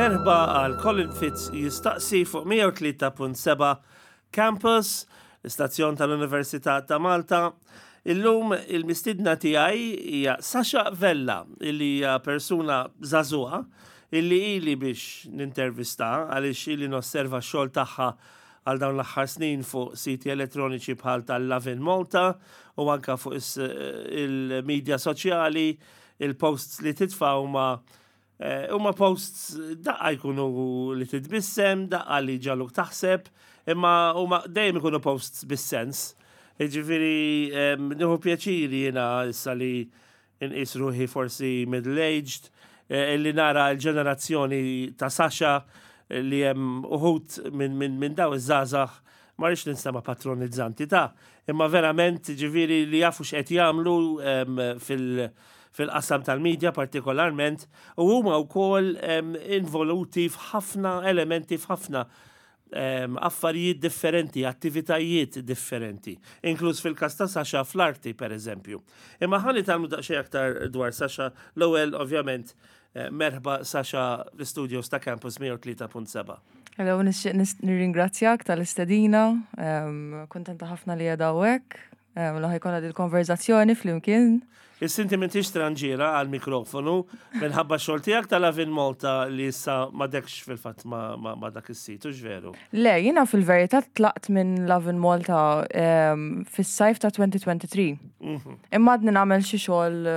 Merħba għal Colin Fitz jistaqsi fuq 103.7 Campus, l-istazzjon tal-Università ta' Malta. Illum il-mistidna tiegħi hija Sasha Vella, illi hija persuna żagħżugħa illi ili biex nintervista għaliex ili nosserva x-xogħol tagħha għal dawn l-aħħar snin fuq siti elettroniċi bħal tal-Lovin Malta u anka fuq il-medja soċjali, il-posts li titfa' huma eh, huma posts daqqa jkunu li titbissem, daqqa li ġaluk taħseb, imma huma dejjem ikunu posts bis-sens. Jiġifieri nieħu pjaċir jiena issa li inqis ruħi forsi middle-aged, eh, illi nara l-ġenerazzjoni ta' Sasha eh, li hemm uħud minn min, min daw iż-żgħażagħ ma rridx ninstema' patronizzanti ta' imma verament ġifieri li jafu x'qed jagħmlu fil- fil-qasam tal-medja partikolarment u huma wkoll involuti f'ħafna elementi f'ħafna affarijiet differenti, attivitajiet differenti, inkluż fil-każ ta' Sasha fl-arti per eżempju. Imma ħa nitgħallmu daqsxejn aktar dwar Sasha, l-ewwel ovvjament eh, merħba Sasha fl-studios ta' Campus 103.7. Hello, nixtieq nirringrazzjak tal-istedina, kuntenta ħafna li qiegħda hawnhekk. Li ħajkonna dil-konverzazzjoni flimkien. Issa inti m'intix stranġiera għall-mikrofonu minħabba x-xogħol tiegħek ta' Lovin Malta li issa m'għadekx fil-fatt ma' dak is-sit, hux veru? Le, jiena fil-verità tlaqt minn Lovin Malta fis-sajf ta' 2023. Mhm. Imma għadni nagħmel xi xogħol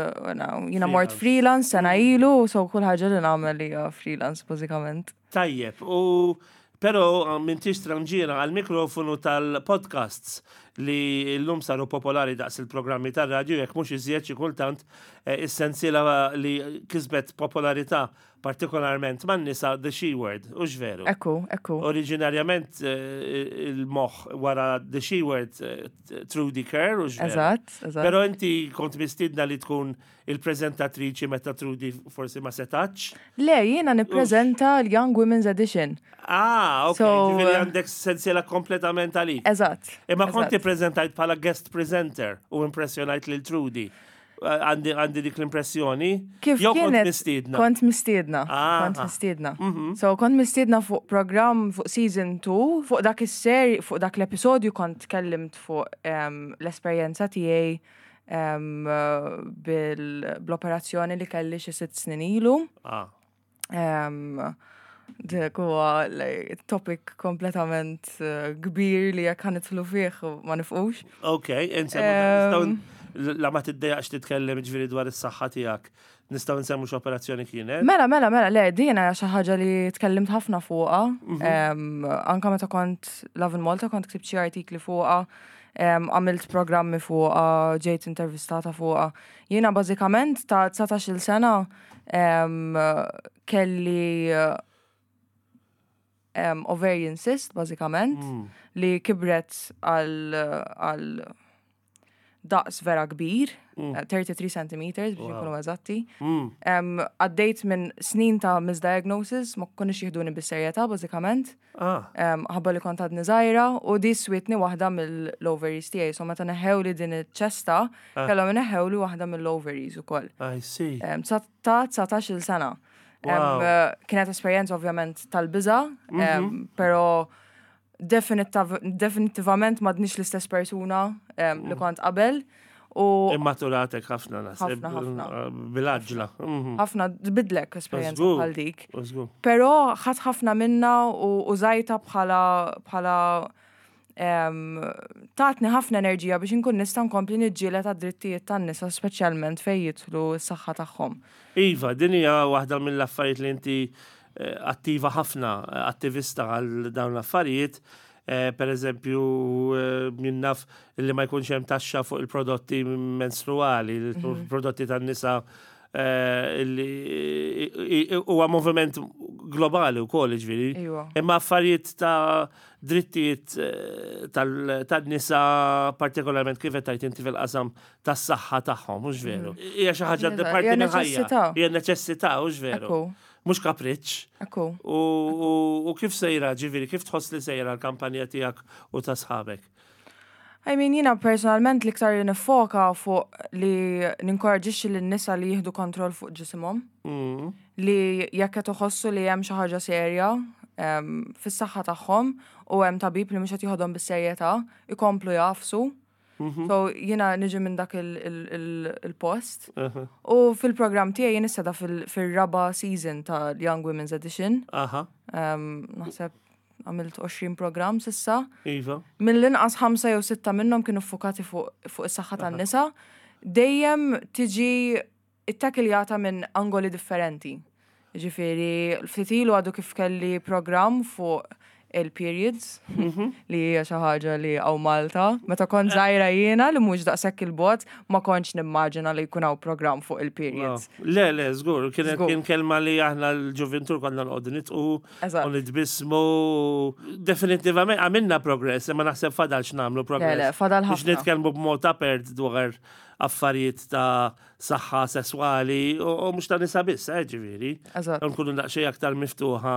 jiena mort freelance sena ilu, so kull ħaġa li nagħmel hija freelance bażikament. Tajjeb, u però m'intix stranġiera għall-mikrofonu tal-podcasts li llum saru popolari daqs il-programmi tar-radju jekk mhux iżjed xi kultant eh, is-sensiela li kisbet popolarità partikolarment man-nisa The She Word, hux veru? Ekku, ekku. Oriġinarjament eh, il-moħħ wara The She Word eh, Trudy Kerr, hux veru? Eżatt, eżatt. Però inti kont mistiedna li tkun il-preżentatriċi meta Trudy forsi ma setax? Le, jiena nippreżenta l-Young Women's Edition. Ah, ok, ġifieri eh, għandek sensiela kompletament għalik. Eżatt. Imma kont ippreżentajt bħala guest presenter u impressjonajt lil Trudy. Eh, għandi dik l-impressjoni. Kif Jew kont mistiedna? Kont mistiedna. Ah. Kont mistiedna. Mhm. So kont mistiedna fuq program fuq season 2, fuq dak is-seri, fuq dak l-episodju kont tkellimt fuq ehm, l-esperjenza tiegħi bl-operazzjoni li kelli xi sitt snin ilu. Ah. Dik huwa topic kompletament eh, kbir li jekk ħanitlu fih ma nifqux. Ok, la ma tiddejaqx titkellem ġifieri dwar is-saħħa tiegħek. Nistgħu nsemmu x'operazzjoni kienet? Mela, mela, mela, le, din hija xi ħaġa li tkellimt ħafna fuqha. Mhm. Anka meta kont Love in Malta kont ktibt xi artikli fuqha. Għamilt programmi fuqha, ġejt intervistata fuqha. Jiena bażikament ta' 19-il sena kelli ovarian cyst bażikament mm. li kibret għal daqs vera kbir, 33 mm. centimeters biex nkunu eżatti. Mm. Għaddejt minn snin ta' misdiagnosis, ma konniex jihduni bis-serjetà bażikament. Ah. Ħabba li kont għadni żgħira u di switni waħda mill-ovaries tiegħi. So meta neħewli din iċ-ċesta, ah. kellhom neħewli waħda mill-ovaries ukoll. I see. Ta' 19-il sena. Eh, kienet esperjenza ovvjament tal-biża, mhm. però Definitivament m'għadnix l-istess persuna li mm. kont qabel. U Immaturatek ħafna naħseb. Ħafna, ħafna. Eh, bil-għaġla. Mhm. Ħafna tbidlek esperjenza bħal dik. Però ħadd ħafna minna u użajta bħala bħala tatni ħafna enerġija biex inkun nista' nkompli niġġieled għad-drittijiet tan-nisa speċjalment fejn jidħlu s-saħħa tagħhom. Iva, din hija waħda mill-affarijiet li inti eh, attiva ħafna, eh, attivista għal dawn l-affarijiet. Eh, per eżempju, min naf li ma jkunx hemm taxxa fuq il-prodotti menstruali, mhm. il-prodotti tan-nisa li huwa moviment globali wkoll ġifieri. Imma affarijiet ta' drittijiet tan-nisa partikolarment kif qed tgħid inti fil-qasam tas-saħħa tagħhom, mhux veru. Mm. Hija xi ħaġa parti mill-ħajja. Hija neċessità, mhux veru. Mhux kapriċċ. Ekku. U kif sejra, ġifieri, kif tħoss li sejra l-kampanja tiegħek u ta' sħabek? I mean, jiena personalment l-iktar li nifoka fuq li ninkoraġixxi lin-nisa li jieħdu kontroll fuq ġisimhom. Li jekk qed iħossu li hemm xi ħaġa serja fis-saħħa tagħhom u hemm tabib li mhux qed jieħodhom bis-serjetà, ikomplu jagħfsu. So jiena niġi minn dak il-post. U fil-programm tiegħi jien issa da fil-raba season ta' Young Women's Edition. Naħseb għamilt 20 programm s'issa. Iva. Mill-inqas 5 jew 6 minnhom kienu ffukati fuq is-saħħa tan-nisa. Dejjem tiġi ittakiljata minn angoli differenti. Ġifieri, ftit ilu għadu kif kelli programm fuq il-periods, li hija xi ħaġa li hawn Malta. Meta kont żgħira jiena li mhux daqshekk il-bogħod, ma kontx nimmaġina li jkun hawn programm fuq il-periods. Le, le, żgur, kienet kien kelma li aħna l-ġuvintur konna noqogħdu nitqu u nitbissmu. Definitivament għamilna progress, imma naħseb fadal x'nagħmlu progress. Le, le, fadal Biex ħafna. nitkellmu b'mod apert dwar affarijiet ta' saħħa sesswali u mhux ta' nisa biss, ġifieri. Nkunu daqsxejn aktar miftuħa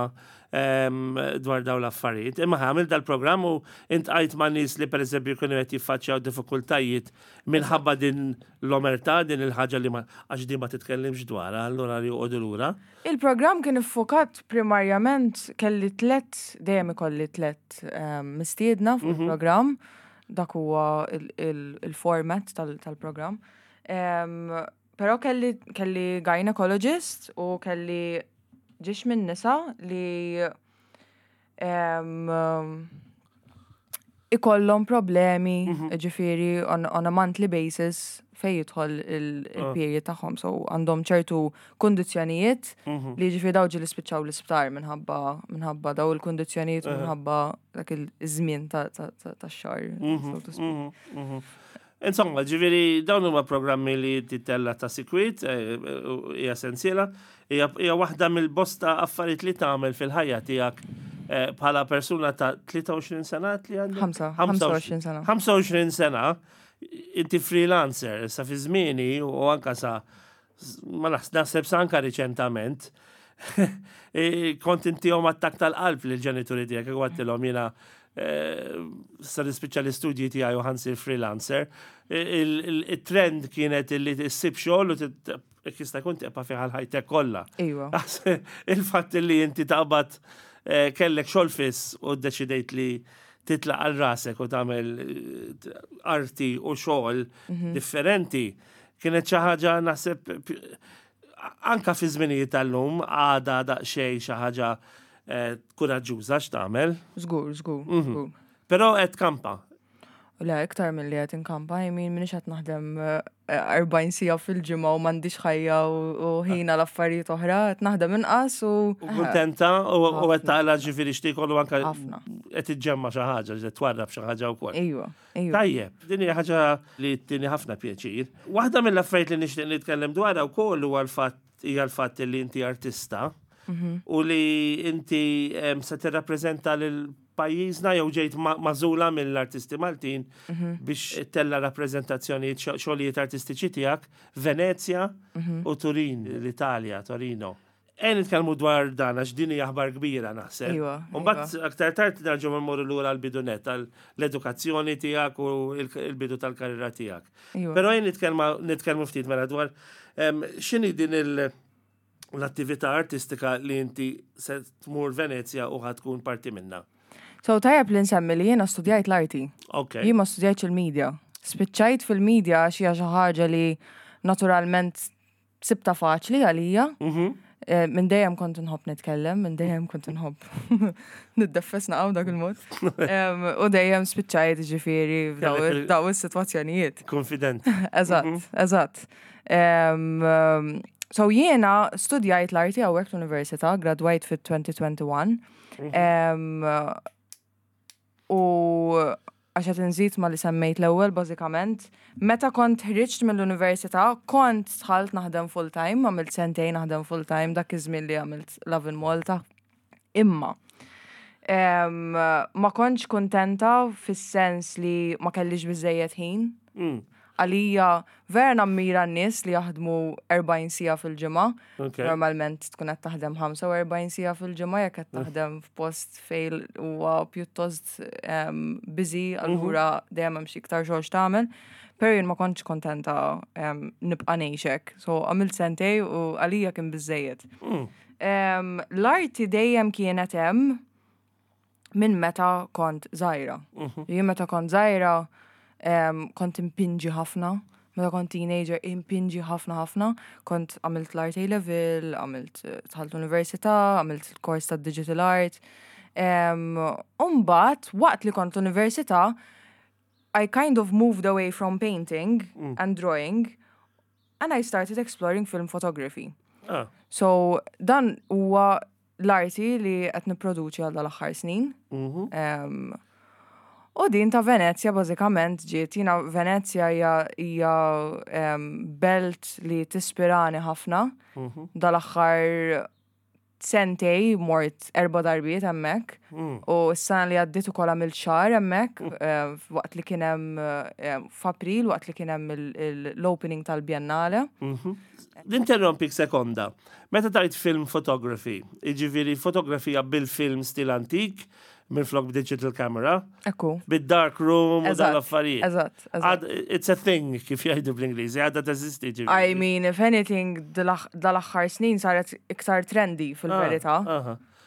dwar dawn l-affarijiet. Imma għamil dal-programm u intqajt ma' nies li pereżempju kienu qed jiffaċċjaw diffikultajiet minħabba din l-omertà, din il-ħaġa li ma għax din ma titkellimx dwarha, allura li joqogħdu lura. Il-programm kien iffokat primarjament kelli tlett, dejjem ikolli tlett mistiedna fuq il-programm, dak huwa il-format tal-programm. Però kelli, kelli gynecologist u kelli ġiex minn nisa li ikollhom problemi, ġifieri on a monthly basis fej jidħol il-period tagħhom, so għandhom ċertu kundizzjonijiet li ġifieri daw ġieli spiċċaw l-isptar minħabba daw il-kundizzjonijiet u minħabba dak il-żmien tax-xahar, so to speak. Insomma, ġifieri dawn huma programmi li titella ta' sikwit, hija sensiela, hija waħda mill-bosta affarijiet li tagħmel fil-ħajja tiegħek bħala persuna ta' 23 sena li għandek? 25 sena. 25 sena, inti freelancer, sa fi żmieni u anka sa ma naħseb sa anka riċentament, kont intihom attakk tal-qalb lill-ġenituri tiegħek, għedtilhom jiena sa nispiċċa l-istudji tiegħi u ħa nsir freelancer. Il-trend kienet li ssib xogħol u jista' jkun tibqa' fiha l-ħajtek kollha. Il-fatt li inti taqbad kellek xogħol fiss u ddeċidejt li titlaq għal rasek u tagħmel arti u xogħol differenti kienet xi ħaġa naħseb anka fi żminijiet tal-lum għada daqsxejn xi ħaġa kuraġġuża x'tagħmel. Żgur, żgur, żgur. Però qed kampa. Le, iktar mill-li qed inkampa, I mean, minix qed naħdem 40 siegħa fil-ġimgħa u m'għandix ħajja u ħin għal affarijiet oħra, qed naħdem inqas u. U kuntenta u qed taqla ġifieri x'tiekol u anka Ħafna. qed iġġemma xi ħaġa, qed twarrab xi ħaġa wkoll. Iva. Tajjeb, din hija ħaġa li tini ħafna pjaċir. Waħda mill-affarijiet li nixtieq nitkellem dwarha wkoll huwa l-fatt hija l-fatt li inti artista u li inti se tirrappreżenta lil pajjiżna jew ġejt magħżula mill-artisti Maltin biex tella rappreżentazzjonijiet xogħlijiet artistiċi tiegħek Venezja u Turin, l-Italja, Torino. Ejja nitkellmu dwar dan għax din hija aħbar kbira naħseb. U mbagħad aktar tard nerġgħu mmorru lura l-bidu net tal-edukazzjoni tiegħek u il-bidu tal-karriera tiegħek. Però ejja nitkellmu ftit mela dwar x'inhi din l-attività artistika li inti se tmur Venezja u ħa tkun parti minna. So tajjeb li nsemmi li jiena studjajt l-arti. Jien ma studjajtx il-media. Spiċċajt fil-media għax hija xi ħaġa li naturalment sibta faċli għalija. Minn dejjem kont nħobb nitkellem, minn dejjem kont nħobb niddeffes naqgħu dak il-mod. U dejjem spiċċajt ġifieri f'daw is-sitwazzjonijiet. Konfident. Eżatt, eżatt. So jiena studjajt l-arti hawnhekk l-università, gradwajt fit-2021. U għax qed inżid ma li semmejt l-ewwel bażikament, meta kont ħriġt mill-università, kont dħalt naħdem full-time, għamilt sentejn naħdem full-time dak iż-żmien li għamilt Love in Malta. Imma ma kontx kuntenta fis-sens li ma kellix biżejjed ħin. Għalija vera nammira n-nies li jaħdmu 40 siegħa fil-ġimgħa. Normalment tkun qed taħdem 45 siegħa fil-ġimgħa jekk qed taħdem f'post fejn huwa pjuttost busy, allura dejjem hemm xi iktar xogħol x'tagħmel. Però jien ma kontx kontenta nibqa' ngħix hekk. So għamilt sentej u għalija kien biżejjed. L-arti dejjem kienet hemm minn meta kont żgħira. Jien meta kont żgħira kont impinġi ħafna. Meta kont teenager impinġi ħafna ħafna. Kont għamilt l-art A level, għamilt dħalt l-università, għamilt il-kors ta' digital art. Umbagħad, waqt li kont l-università, I kind of moved away from painting and drawing and I started exploring film photography. So dan huwa l-arti li qed nipproduċi għal dal-aħħar snin. U din ta' Venezja bażikament ġiet, jiena Venezja hija belt li tispirani ħafna. Dal-aħħar sentej mort 4 darbiet hemmhekk. U s-sena li għaddiet ukoll għamilt xahar hemmhekk, waqt li kien hemm f'April, waqt li kien hemm l-opening tal-Biennale. Ninterrompik sekonda. Meta tajt film photography, jiġifieri fotografija bil-film stil antik, minflok b'digital camera. Ekku. Bid-dark room u dal-affarijiet. Eżatt, eżatt. It's a thing, kif jgħidu bl-Ingliż, għadha teżisti ġifieri. I mean, if anything, dal-aħħar snin saret iktar trendy fil-verità.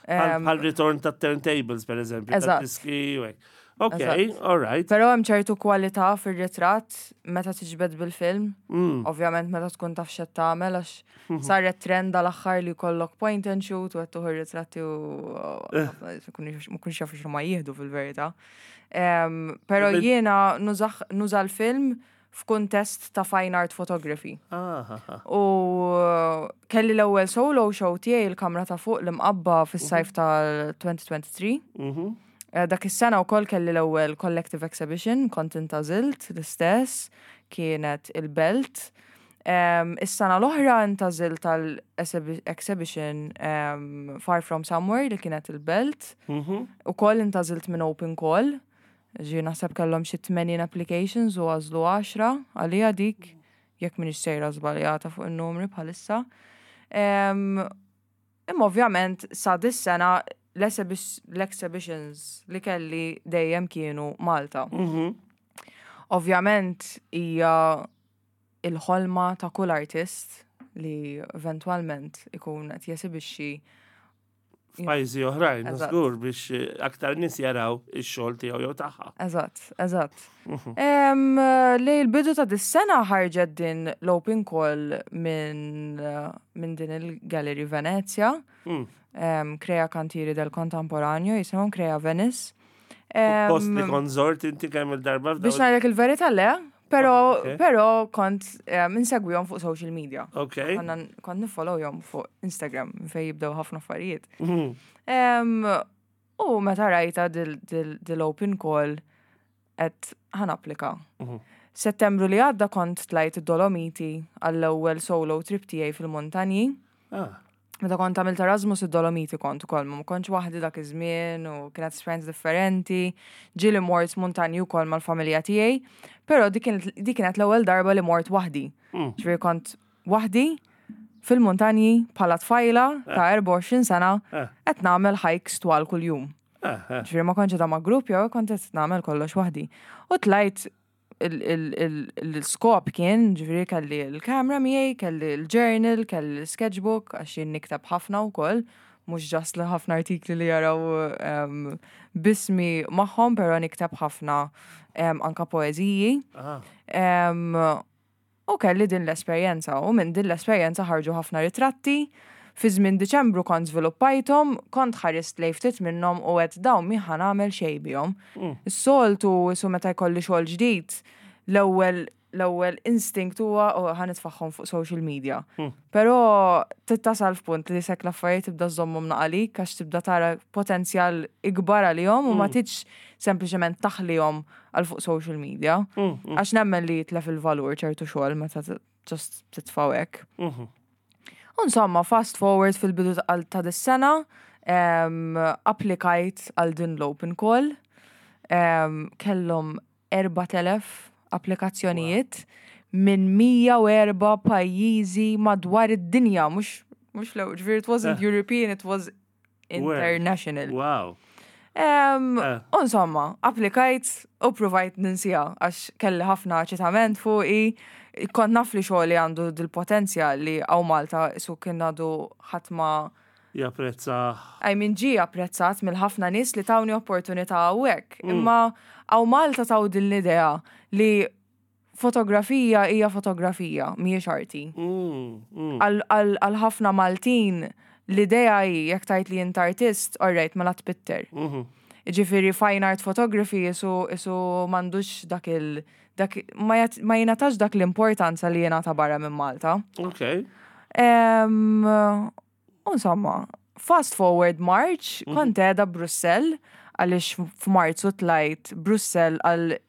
Bħal return ta' turntables, per eżempju, ta' diski u hekk. Ok, all right. Però hemm ċertu kwalità fir-ritratt meta tiġbed bil-film. Ovvjament meta tkun taf x'qed tagħmel għax saret trend dal-aħħar li jkollok point and shoot u qed tuħu ritratti u ma kunx jaf x'ma jieħdu fil-verità. Però jiena nuża l-film f'kuntest ta' fine art photography. U kelli l-ewwel solo show tiegħi il-kamra ta' fuq l-imqabba fis-sajf tal-2023. Dak is-sena wkoll kelli l-ewwel collective exhibition, kont intgħażilt l-istess, kienet il-Belt. Is-sena l-oħra intgħażilt tal-exhibition Far From Somewhere li kienet il-Belt. Ukoll intgħażilt minn open call. Ġi naħseb kellhom xi 80 applications u għażlu 10 għalija dik, jekk m'iniex sejra żbaljata fuq in-numri bħalissa. Imma ovvjament sa dis-sena l-exhibitions li kelli dejjem kienu Malta. Ovvjament hija il-ħolma ta' kull artist li eventwalment ikun qed jesibixxi f'pajjiżi oħrajn, żgur biex aktar nies jaraw ix-xogħol tiegħu jew tagħha. Eżatt, eżatt. Lejn il-bidu ta' dis-sena ħarġet din l-open call minn din il-Gallery Venezia. Crea Cantieri del Contemporaneo, jisimhom Crea Venice. Post li kont żort inti kemm il-darba Biex ngħidlek il-verità le, però kont insegwihom fuq social media. Kont nifollowhom fuq Instagram fejn jibdew ħafna affarijiet. U meta rajta dil-open call qed ħa napplika. Settembru li għadda kont tlajt id-Dolomiti għall-ewwel solo trip tiegħi fil-muntanji. Meta kont għamilt Erasmus id-Dolomiti kont ukoll, ma kontx waħdi dak iż-żmien u kienet esperjenza differenti. Ġieli mort muntanji wkoll mal-familja tiegħi, però dik kienet l-ewwel darba li mort waħdi. Ġifieri kont waħdi fil-muntanji bħala tfajla ta' 24 sena qed nagħmel hikes twal kuljum. Ġifieri ma kontx ma' grupp jew kont qed nagħmel kollox waħdi. U tlajt l-skop kien, ġifieri kelli l-kamera miegħi, kelli l-journal, kelli l-sketchbook, għax jien nikteb ħafna wkoll, mhux just li ħafna artikli li jaraw bismi magħhom, però nikteb ħafna anka poeżiji. U kelli din l-esperjenza, u minn din l-esperjenza ħarġu ħafna ritratti. Fi żmien Diċembru kont żviluppajthom, kont ħarist lejn ftit minnhom u għedt dawn mi ħa nagħmel xejn bihom. Is-soltu isu meta jkolli xogħol ġdid, l-ewwel instinct huwa oh, ħa nitfagħhom fuq social media. Però tittasal f'punt li sekk l-affarijiet tibda żommhom naqalik għax tibda tara potenzjal ikbar għalihom u ma tridx sempliċement taħlihom għal fuq social media. Għax nemmen li jitlef il-valur ċertu xogħol meta just titfgħu hekk. Insomma, fast forward fil-bidu ta' dis-sena, applikajt għal din l-open call, kellhom 4000 applikazzjonijiet minn 104 pajjiżi madwar id-dinja, mhux l ġifieri it wasn't European, it was international. Wow. Insomma, applikajt u provajt ninsija għax kelli ħafna eċitament fuqi. Kont naf li xogħli għandu dil-potenzjal li hawn Malta su kien għadu ħadd ma Japprezza. I mean, ġie apprezzat mill-ħafna nies li tawni opportunità hawnhekk. Imma hawn Malta taw din l-idea li fotografija hija fotografija, mhijiex arti. Għal ħafna Maltin l-idea hi jekk tgħid li int artist, alright, mela tpitter. Ġifieri fine art photography isu m'għandux dak il dak ma jingħatax dak l-importanza li jingħata barra minn Malta. Ok. Insomma, fast forward March, kont qiegħda Brussell għaliex f'Marzu tlajt Brussell għal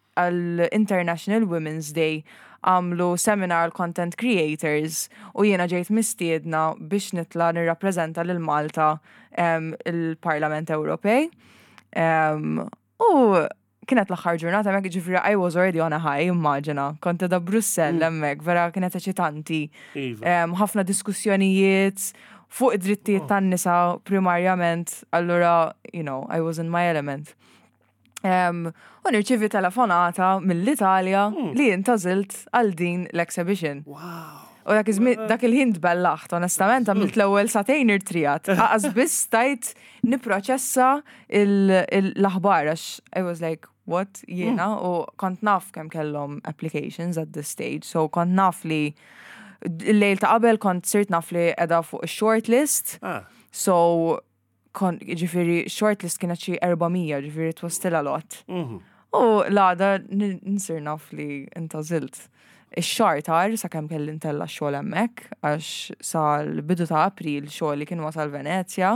International Women's Day, għamlu seminar għal content creators u jiena ġejt mistiedna biex nitla nirrappreżenta lil Malta il-Parlament Ewropej. U kienet l-aħħar ġurnata hemmhekk, ġifieri I was already on a high, immaġina. Kont qiegħda Brussell hemmhekk, vera kienet eċitanti. Ħafna diskussjonijiet fuq id-drittijiet tan-nisa primarjament, allura, I was in my element. U nirċivi telefonata mill-Italja li intgħażilt għal din l-exhibition. Wow. U dak iż-żmien, dak il-ħin tbellaħt, onestament, għamilt l-ewwel sagħtejn irtrijat. Aqas biss stajt nipproċessa l-aħbar għax I was like, what, jiena? U kont naf kemm kellhom applications at this stage, so kont naf li l-lejl ta' qabel kont sirt naf li qiegħda fuq shortlist. So, kon, ġifieri, shortlist kienet xi 400, ġifieri it was still a lot. U l-għada nsir naf li intgħażilt. Ix-xahar tar sakemm kelli ntella' x-xogħol hemmhekk, għax sal-bidu ta' April xogħli kien wasal Venezja.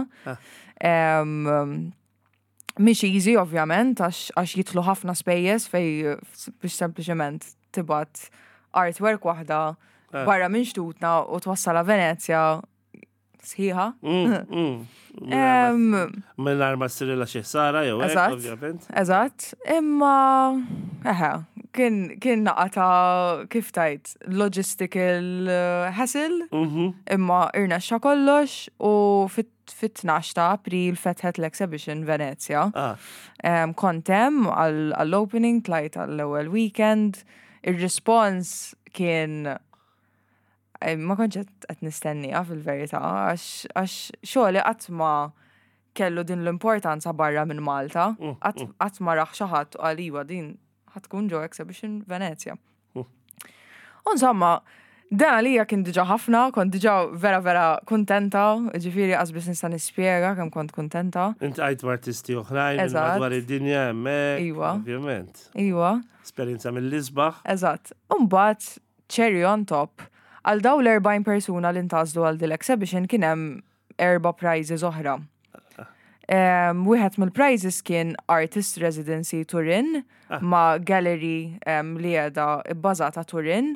Mhix easy ovvjament, għax jidħlu ħafna spejjeż fej biex sempliċement tibgħat artwork waħda barra minn xtutna u twassalha Venezja sħiħa. Mingħajr ma ssirilha xi ħsara jew hekk, ovvjament. Eżatt, imma eħe, kien naqa ta' kif tajt logistical hassle, imma irnexxa kollox u fit-12 ta' April fetħet l-exhibition Venezia. Kont hemm għall-opening, tlajt għall-ewwel weekend, ir-response kien ma kontx qed nistenniha fil-verità, għax xogħli qatt ma kellu din l-importanza barra minn Malta, qatt ma raħ xi ħadd u qal iva din ħa tkun ġo exhibition Venezia. U insomma, dan għalija kien diġà ħafna, kont diġà vera vera kuntenta, ġifieri qas biss nista' nispjega kemm kont kuntenta. Int għajt artisti oħrajn minn madwar id-dinja hemmhekk, ovvjament. Iva. Esperjenza mill-isbaħ. Eżatt. U mbagħad cherry on top, għal daw l-40 persuna li ntgħażlu għal dil exhibition kien hemm 4 prizes oħra. Wieħed mill-prizes kien Artist Residency Turin ma' gallery li qiegħda bbażata Turin.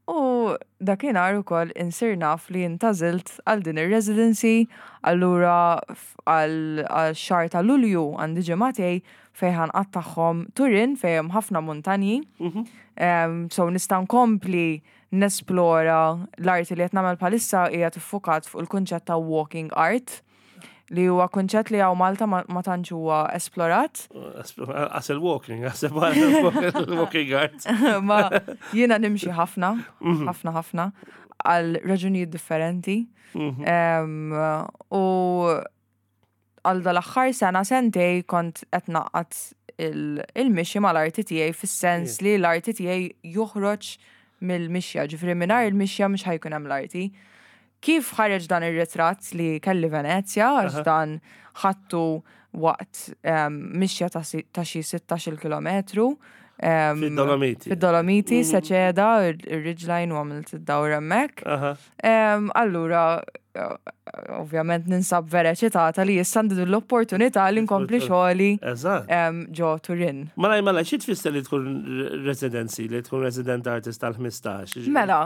U dakinhar ukoll insir naf li intgħażilt għal din ir-residency, allura għal xahar ta' Lulju għandi ġimgħatej fejn ħa nqattagħhom Turin fejn hemm ħafna muntanji. So nista' nkompli nesplora l-arti li qed nagħmel bħalissa hija tiffukat fuq il-kunċett ta' walking art, li huwa kunċett li hawn Malta ma tantx huwa esplorat. Għas il-walking, għas il-walking art. Ma jiena nimxi ħafna, ħafna ħafna, għal raġunijiet differenti. U għal dal-aħħar sena sentej kont qed naqgħad il-mixi mal-arti tiegħi fis-sens li l-arti tiegħi joħroġ mill-mixja, ġifieri mingħajr il-mixja mhux ħa jkun hemm l-arti. Kif ħareġ dan ir-ritratt li kelli Venezja, għax dan ħadtu waqt mixja ta' xi 16 kilometru. Fid-Dolomiti. Fid-Dolomiti, Seceda, ir-ridgeline u għamilt id-dawra hemmhekk. Allura, ovvjament ninsab vera eċitata li issa għandi din l-opportunità li nkompli xogħli ġo Turin. Malaj, malaj, xi tfisser li tkun residency, li tkun resident artist tal-15? Mela,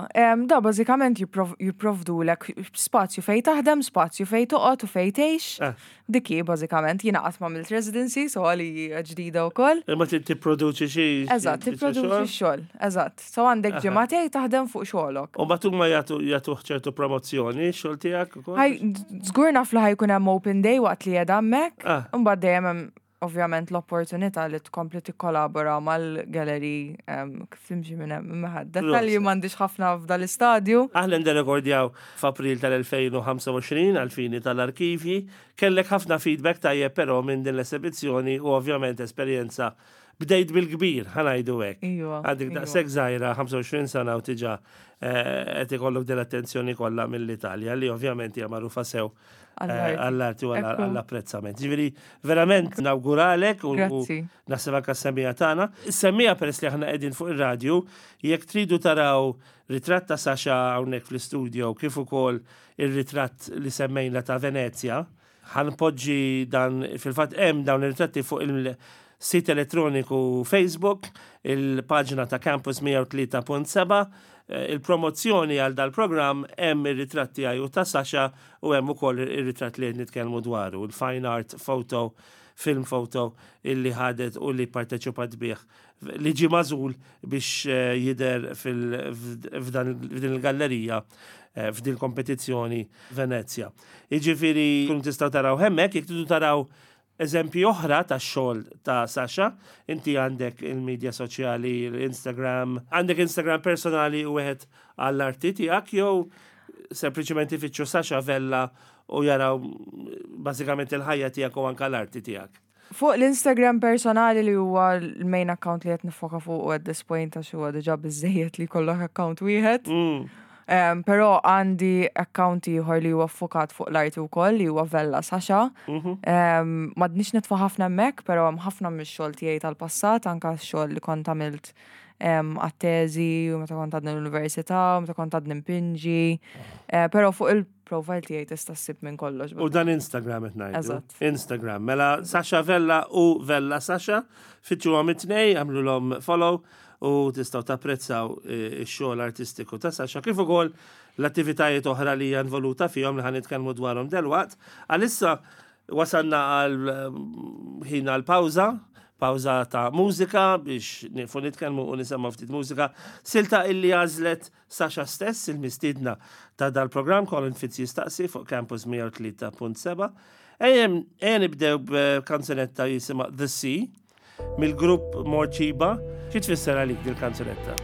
da bażikament jipprovdulek spazju fejn taħdem, spazju fejn toqgħod u fejn tgħix. Dik hi bażikament, jiena qatt m'għamilt residency, so għalija ġdida wkoll. Imma trid tipproduċi xi. Eżatt, tipproduċi x-xogħol, eżatt. So għandek ġimagħtejn taħdem fuq xogħolok. U mbagħad huma jagħtu jagħtuh ċertu promozzjoni x-xogħol tiegħek ukoll? Żgur naf li ħa jkun hemm open day waqt li qiegħda hemmhekk, imbagħad dejjem hemm ovvjament l-opportunità li tkompli tikkolabora mal-gallery kif timxi minn hemm imma dettalji m'għandix ħafna f'dal-istadju. Aħna nderrekordjaw f'April tal-2025 għall-fini tal-arkivji. Kellek ħafna feedback tajjeb però minn din l-esebizzjoni u ovvjament esperjenza bdejt bil-kbir, ħa ngħidu hekk. Iva. Għadek daqshekk żgħira, 25 sena u tiġa qed ikollok din l-attenzjoni kollha mill-Italja li ovvjament hija magħrufa sew għall-arti u għall-apprezzament. Ġifieri verament nawguralek u naħseb anke s-semmiegħa tagħna. Is-semmiegħa peress li aħna qegħdin fuq ir-radju, jekk tridu taraw ritratt ta' Sasha hawnhekk fl-istudio kif ukoll ir-ritratt li semmejna ta' Venezja, Ħa npoġġi dan, fil-fatt hemm dawn ir-ritratti fuq il-sit elettroniku Facebook, il-paġna ta' Campus 103.7, il-promozzjoni għal dal-programm hemm ir-ritratt tiegħi u ta' Sasha u hemm ukoll ir-ritratt li qed nitkellmu dwaru, il-fine art photo, film photo illi ħadet u li pparteċipat bih li ġie magħżul biex jidher f'din il-gallerija f'din il-kompetizzjoni Venezja. Jiġifieri tkunu tistgħu taraw hemmhekk, jekk tridu taraw eżempji oħra tax-xogħol ta' Sasha, inti għandek il-midja soċjali, l-Instagram, għandek Instagram personali u wieħed għall-arti tiegħek jew sempliċement ifittxu Sasha Vella u jaraw bażikament il-ħajja tiegħek u anke l-arti tiegħek. Fuq l-Instagram personali li huwa l-main account li qed nifoka fuq at this point għax huwa diġà biżejjed li jkollok account wieħed. Però għandi account ieħor li huwa ffokat fuq l-arti wkoll li huwa Vella Sasha. M'għadniex nitfa' ħafna hemmhekk, però hemm ħafna mix-xogħol tiegħi tal-passat, anke x-xogħol li kont għamilt għat-teżi u meta kont għadni l-università, u meta kont għadni mpinġi. Però fuq il Profile tiegħi tista' ssib minn kollox. U dan Instagram qed ngħidu. Eżatt. Instagram. Mela Sasha Vella u Vella Sasha, fittxuhom it-tnej, għamlulhom follow u tistgħu tapprezzaw eh, ix-xogħol artistiku ta' Sasha kif ukoll l-attivitajiet oħra li hija involuta fihom li ħan nitkellmu dwarhom delwaqt. Għalissa wasalna għal eh, ħin għal pawża, pawża ta' mużika biex nieqfu nitkellmu u nisemgħu ftit mużika. Silta illi għażlet Sasha stess, il-mistiedna ta' dal-programm Colin Fitz jistaqsi fuq Campus 103.7. Ejjem, ejja nibdew b'kanzunetta jisimha The Sea mill-grupp Morċiba. Xi tfisser għalik dil-kanzunetta?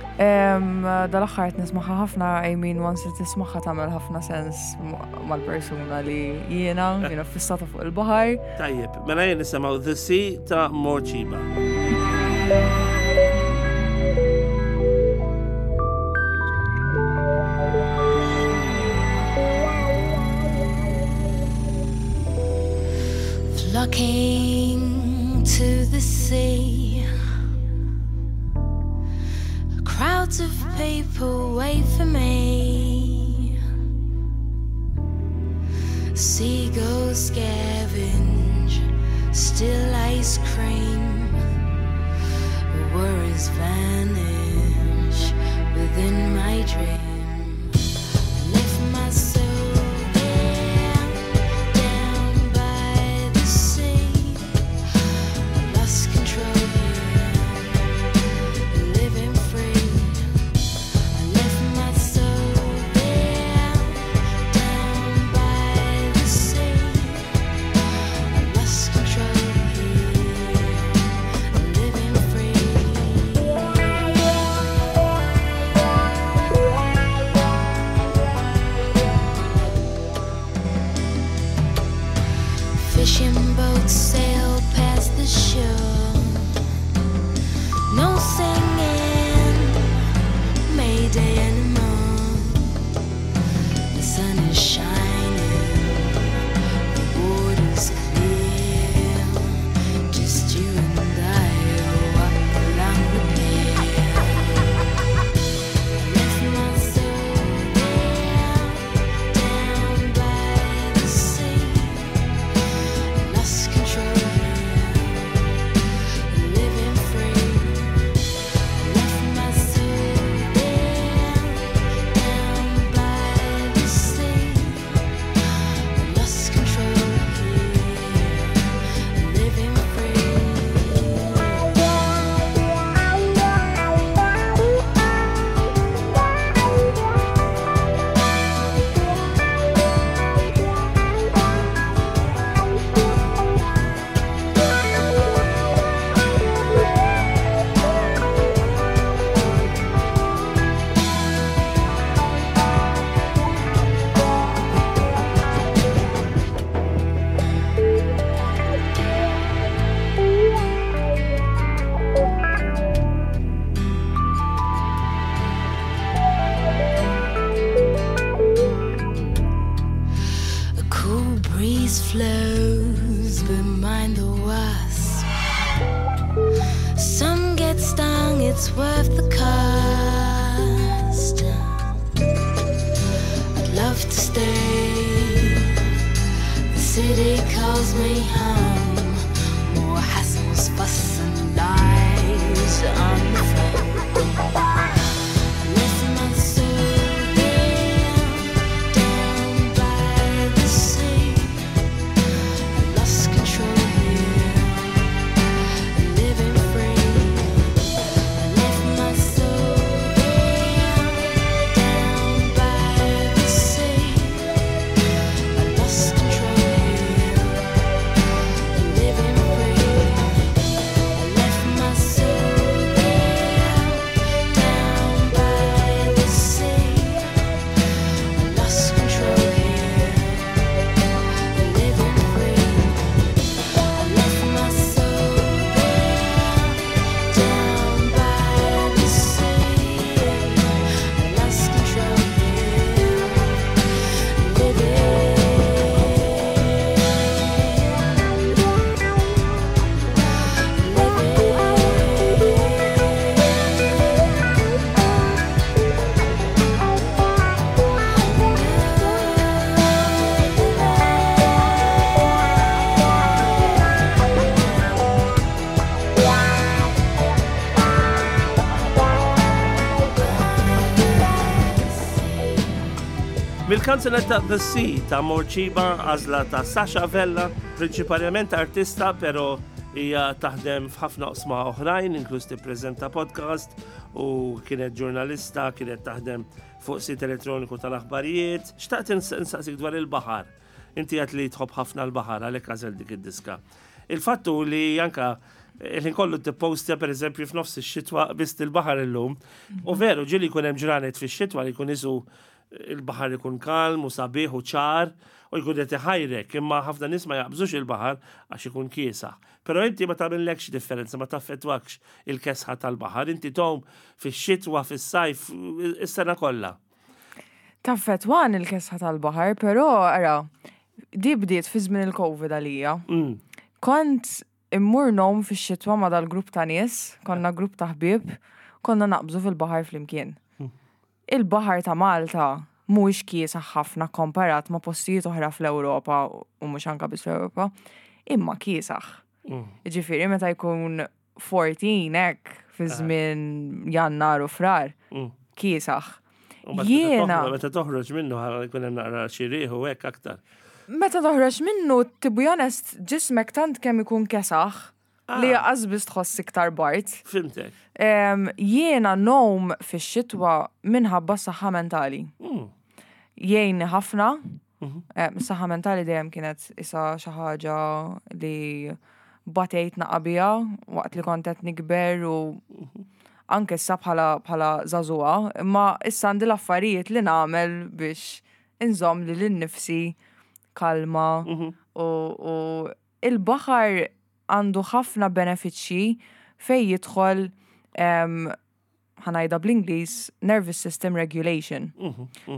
Dal-aħħar qed nismagħha ħafna, I mean once li tismagħha tagħmel ħafna sens mal-persuna li jiena, jiena fissata fuq il-baħar. Tajjeb, mela jien nisimgħu The Sea ta' Morċiba. Flocking to the sea Crowds of people wait for me Seagulls scavenge Still ice cream Worries vanish within my dream I left my soul there Down by the sea I lost control here Living free I left my soul there Down by the sea I lost control here Living free. worth the cost. I'd love to stay. The city calls me home. More hassles, fuss, and lies on the phone. I left my soul there, down by the sea. I lost control here, living free. I left my soul there, down by the sea. I lost control here, living free. I left my soul there, down by the sea. I lost control here, living free. I left my soul there, down by the sea. I lost control here, Mill-kanzunetta The Sea ta' Morċiba għażla ta' Sasha Vella, prinċipalment artista, pero hija taħdem f'ħafna oqsma oħrajn, inkluż tippreżenta podcast u kienet ġurnalista, kienet taħdem fuq sit elettroniku tal-aħbarijiet. Xtaqt insaqsik dwar il-baħar. Inti għat li tħobb ħafna l-baħar għalhekk għażel dik id-diska. Il-fattu li anka il-ħin kollu tippostja per eżempju f'nofs ix-xitwa biss il-baħar illum. U veru ġieli jkun hemm ġranet fix-xitwa li jkun isu il-baħar ikun kalm u sabiħ u ċar u jkun qed iħajrek, imma ħafna nies ma jaqbżux il-baħar għax ikun kiesaħ. Però inti ma tagħmillekx differenza, ma taffettwakx il-kesħa tal-baħar, inti tgħum fix-xitwa, fis-sajf, is-sena kollha. Taffettwan il-kesħa tal-baħar, però ara, di bdiet fi żmien il-Covid għalija. Kont immur ngħum fix-xitwa ma' dal-grupp ta' nies, konna grupp ta' ħbieb, konna naqbżu fil-baħar flimkien. Il-baħar ta' Malta mhuwiex kiesaħ ħafna komparat ma' postijiet oħra fl-Ewropa u mhux anka biss fl-Ewropa, imma kiesaħ. Ġifieri meta jkun 14 hekk fi żmien Jannar u Frar, kiesaħ. U meta Meta toħroġ minnu ħa jkun hemm naqra xi riħ u hekk aktar. Meta toħroġ minnu, to be honest, ġismek tant kemm ikun kesaħ li lanqas biss tħoss iktar bard. Fhimtek. Jiena ngħum fix-xitwa minħabba saħħa mentali. Jgħinni ħafna. Saħħa mentali dejjem kienet isa xi ħaġa li batejt naqa biha waqt li kont qed nikber u anke issa bħala żagħżugħa, imma issa għandi l-affarijiet li nagħmel biex inżomm lili nnifsi kalma u il-baħar għandu ħafna benefiċċji fej jidħol ħa ngħidha bl-Ingliż nervous system regulation.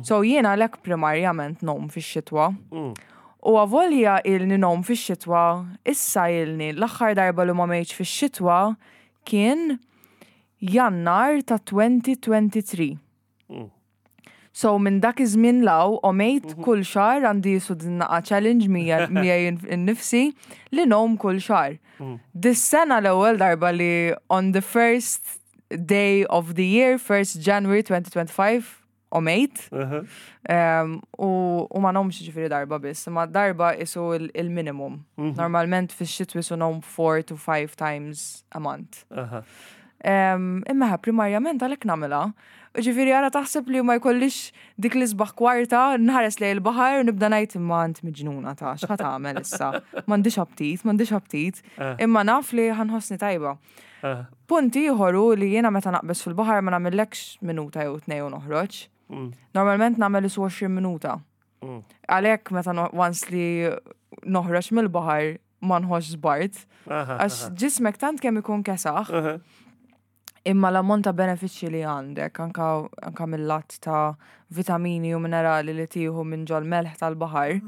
So jiena lek primarjament ngħum fix-xitwa. U avolja ilni ngħum fix-xitwa, issa ilni l-aħħar darba li ma għomtx fix-xitwa kien Jannar ta' 2023. So minn dak iż-żmien 'l hawn għomt kull xahar għandi jisu din naqa challenge miegħi innifsi li ngħum kull xahar. Dis-sena l-ewwel darba li on the first day of the year, 1st January 2025, għomt. U ma ngħumx ġifieri darba biss, ma darba isu il-minimum. Normalment fix-xitwi su ngħum 4 to 5 times a month. Imma primarjament għalhekk nagħmilha. Ġifieri għara taħseb li ma jkollix dik l-isbaħ kwarta, nħares lejn il-baħar u nibda ngħid imma int miġnuna ta' x'ħa tagħmel issa. M'għandix aptit, m'għandix aptit. Imma naf li ħa nħossni tajba. Punt ieħor hu li jiena meta naqbeż fil-baħar ma nagħmillekx minuta jew tnej u noħroġ. Normalment nagħmel isu 20 minuta. Għalhekk meta once li noħroġ mill-baħar ma nħossx bard. Għax ġismek tant kemm ikun kesaħ, imma l-ammont ta' benefiċċji li għandek, anka mill-lat ta' vitamini u minerali li tieħu minn ġol melħ tal-baħar.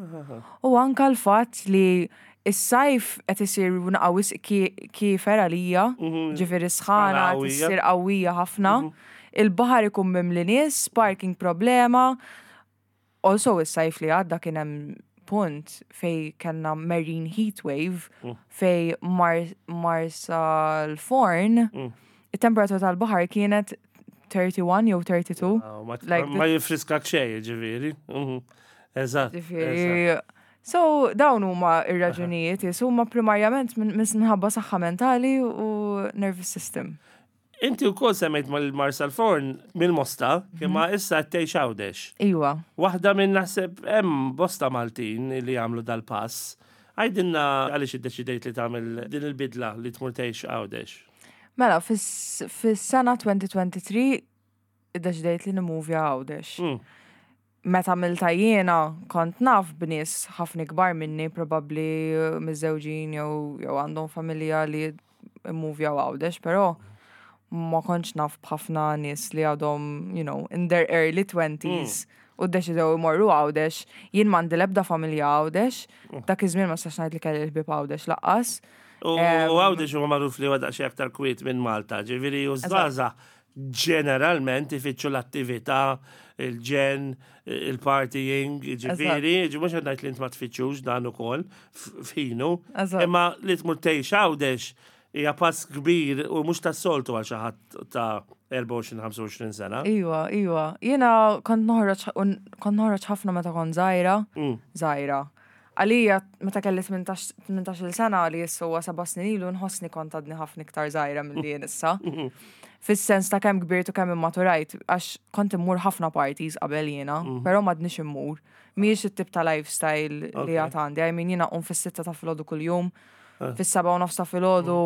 U anka l-fatt li Is-sajf qed isir naqa wisq kiefer għalija, ġifieri sħana Sħana qawwija. issir qawwija ħafna. Il-baħar ikun mimli nies, parking problema. Also is-sajf li għadda kien hemm punt fej kellna marine heat wave fej Marsalforn it-temperatura tal-baħar kienet 31 jew 32. Ah, Ma Like ma jifriskak xejn, ġifieri. Eżatt. eżatt. Ġifieri, so dawn huma ir-raġunijiet, yes, huma primarjament minħabba saħħa mentali u nervous system. Inti wkoll semmejt mal-Marsalforn mill-Mosta, imma issa qed tgħix Għawdex. Iwa. Waħda minn naħseb hemm bosta Maltin li jagħmlu dal-pass. Għidilna għaliex iddeċidejt li tagħmel din il-bidla li tmur tgħix Għawdex. Mela, fis-sena 2023 iddeċidejt li nimuvja Għawdex. Meta għamiltha jiena kont naf b'nies ħafna ikbar minni, probabbli miżżewġin jew għandhom familja li immuvjaw Għawdex, però ma kontx naf b'ħafna nies li għadhom, in their early 20s u ddeċidew imorru Għawdex. Jien m'għandi l-ebda familja Għawdex, dak iż-żmien ma nistax ngħid li kelli l-ħbieb Għawdex lanqas. U Għawdex huwa magħruf li huwa daqsxejn aktar kwiet minn Malta, ġifieri u żgħażagħ ġeneralment ifittxu l-attività, il-ġen, il-partying, ġifieri, mhux qed ngħid li int ma tfittxux dan ukoll f'ħinu, imma li tmur tgħix Għawdex hija pass kbir u mhux tas-soltu għal xi ħadd ta' 24-25 sena. Iwa, iwa. Jiena kont noħroġ kont noħroġ ħafna meta kont żgħira, żgħira. Għalija meta kelli 18-il sena li issa huwa 7 snin ilu nħossni kont għadni ħafna iktar żgħira milli jien issa. Fis-sens ta' kemm kbirt u kemm immaturajt, għax kont immur ħafna parties qabel jiena, però m'għadniex immur. Mhijiex it-tip ta' lifestyle li għad għandi. I mean jiena nqum fis-6 ta' filgħodu kuljum, fis-7:30 ta' filgħodu,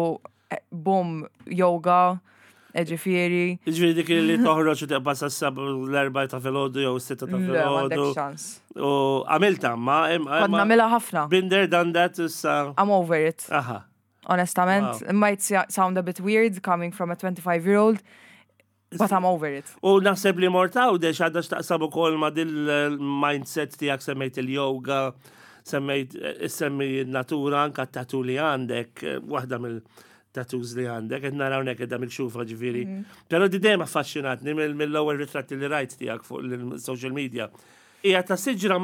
bum, yoga, ġifieri. Ġifieri dik li toħroġ u tibqa' sas-sab l-4 ta' filgħodu jew s-6 ta' Le, m'għandek filgħodu. ċans. U għamilta ma Kont nagħmilha ħafna. Been there, done that, issa. I'm over it. Aha. Onestament, it might sound a bit weird coming from a 25-year-old, but I'm over it. U naħseb li mort Għawdex għadha x'taqsam ukoll ma' dil-mindset tiegħek semmejt il-yoga, semmejt semmi natura anka t-tattoo li għandek, waħda mill-tattoos li għandek, qed naraw hawnhekk qiegħda mikxufa ġifieri. Però di dejjem affaxxinatni mill-ewwel ritratti li rajt tiegħek fuq il-social media. Hija ta' siġra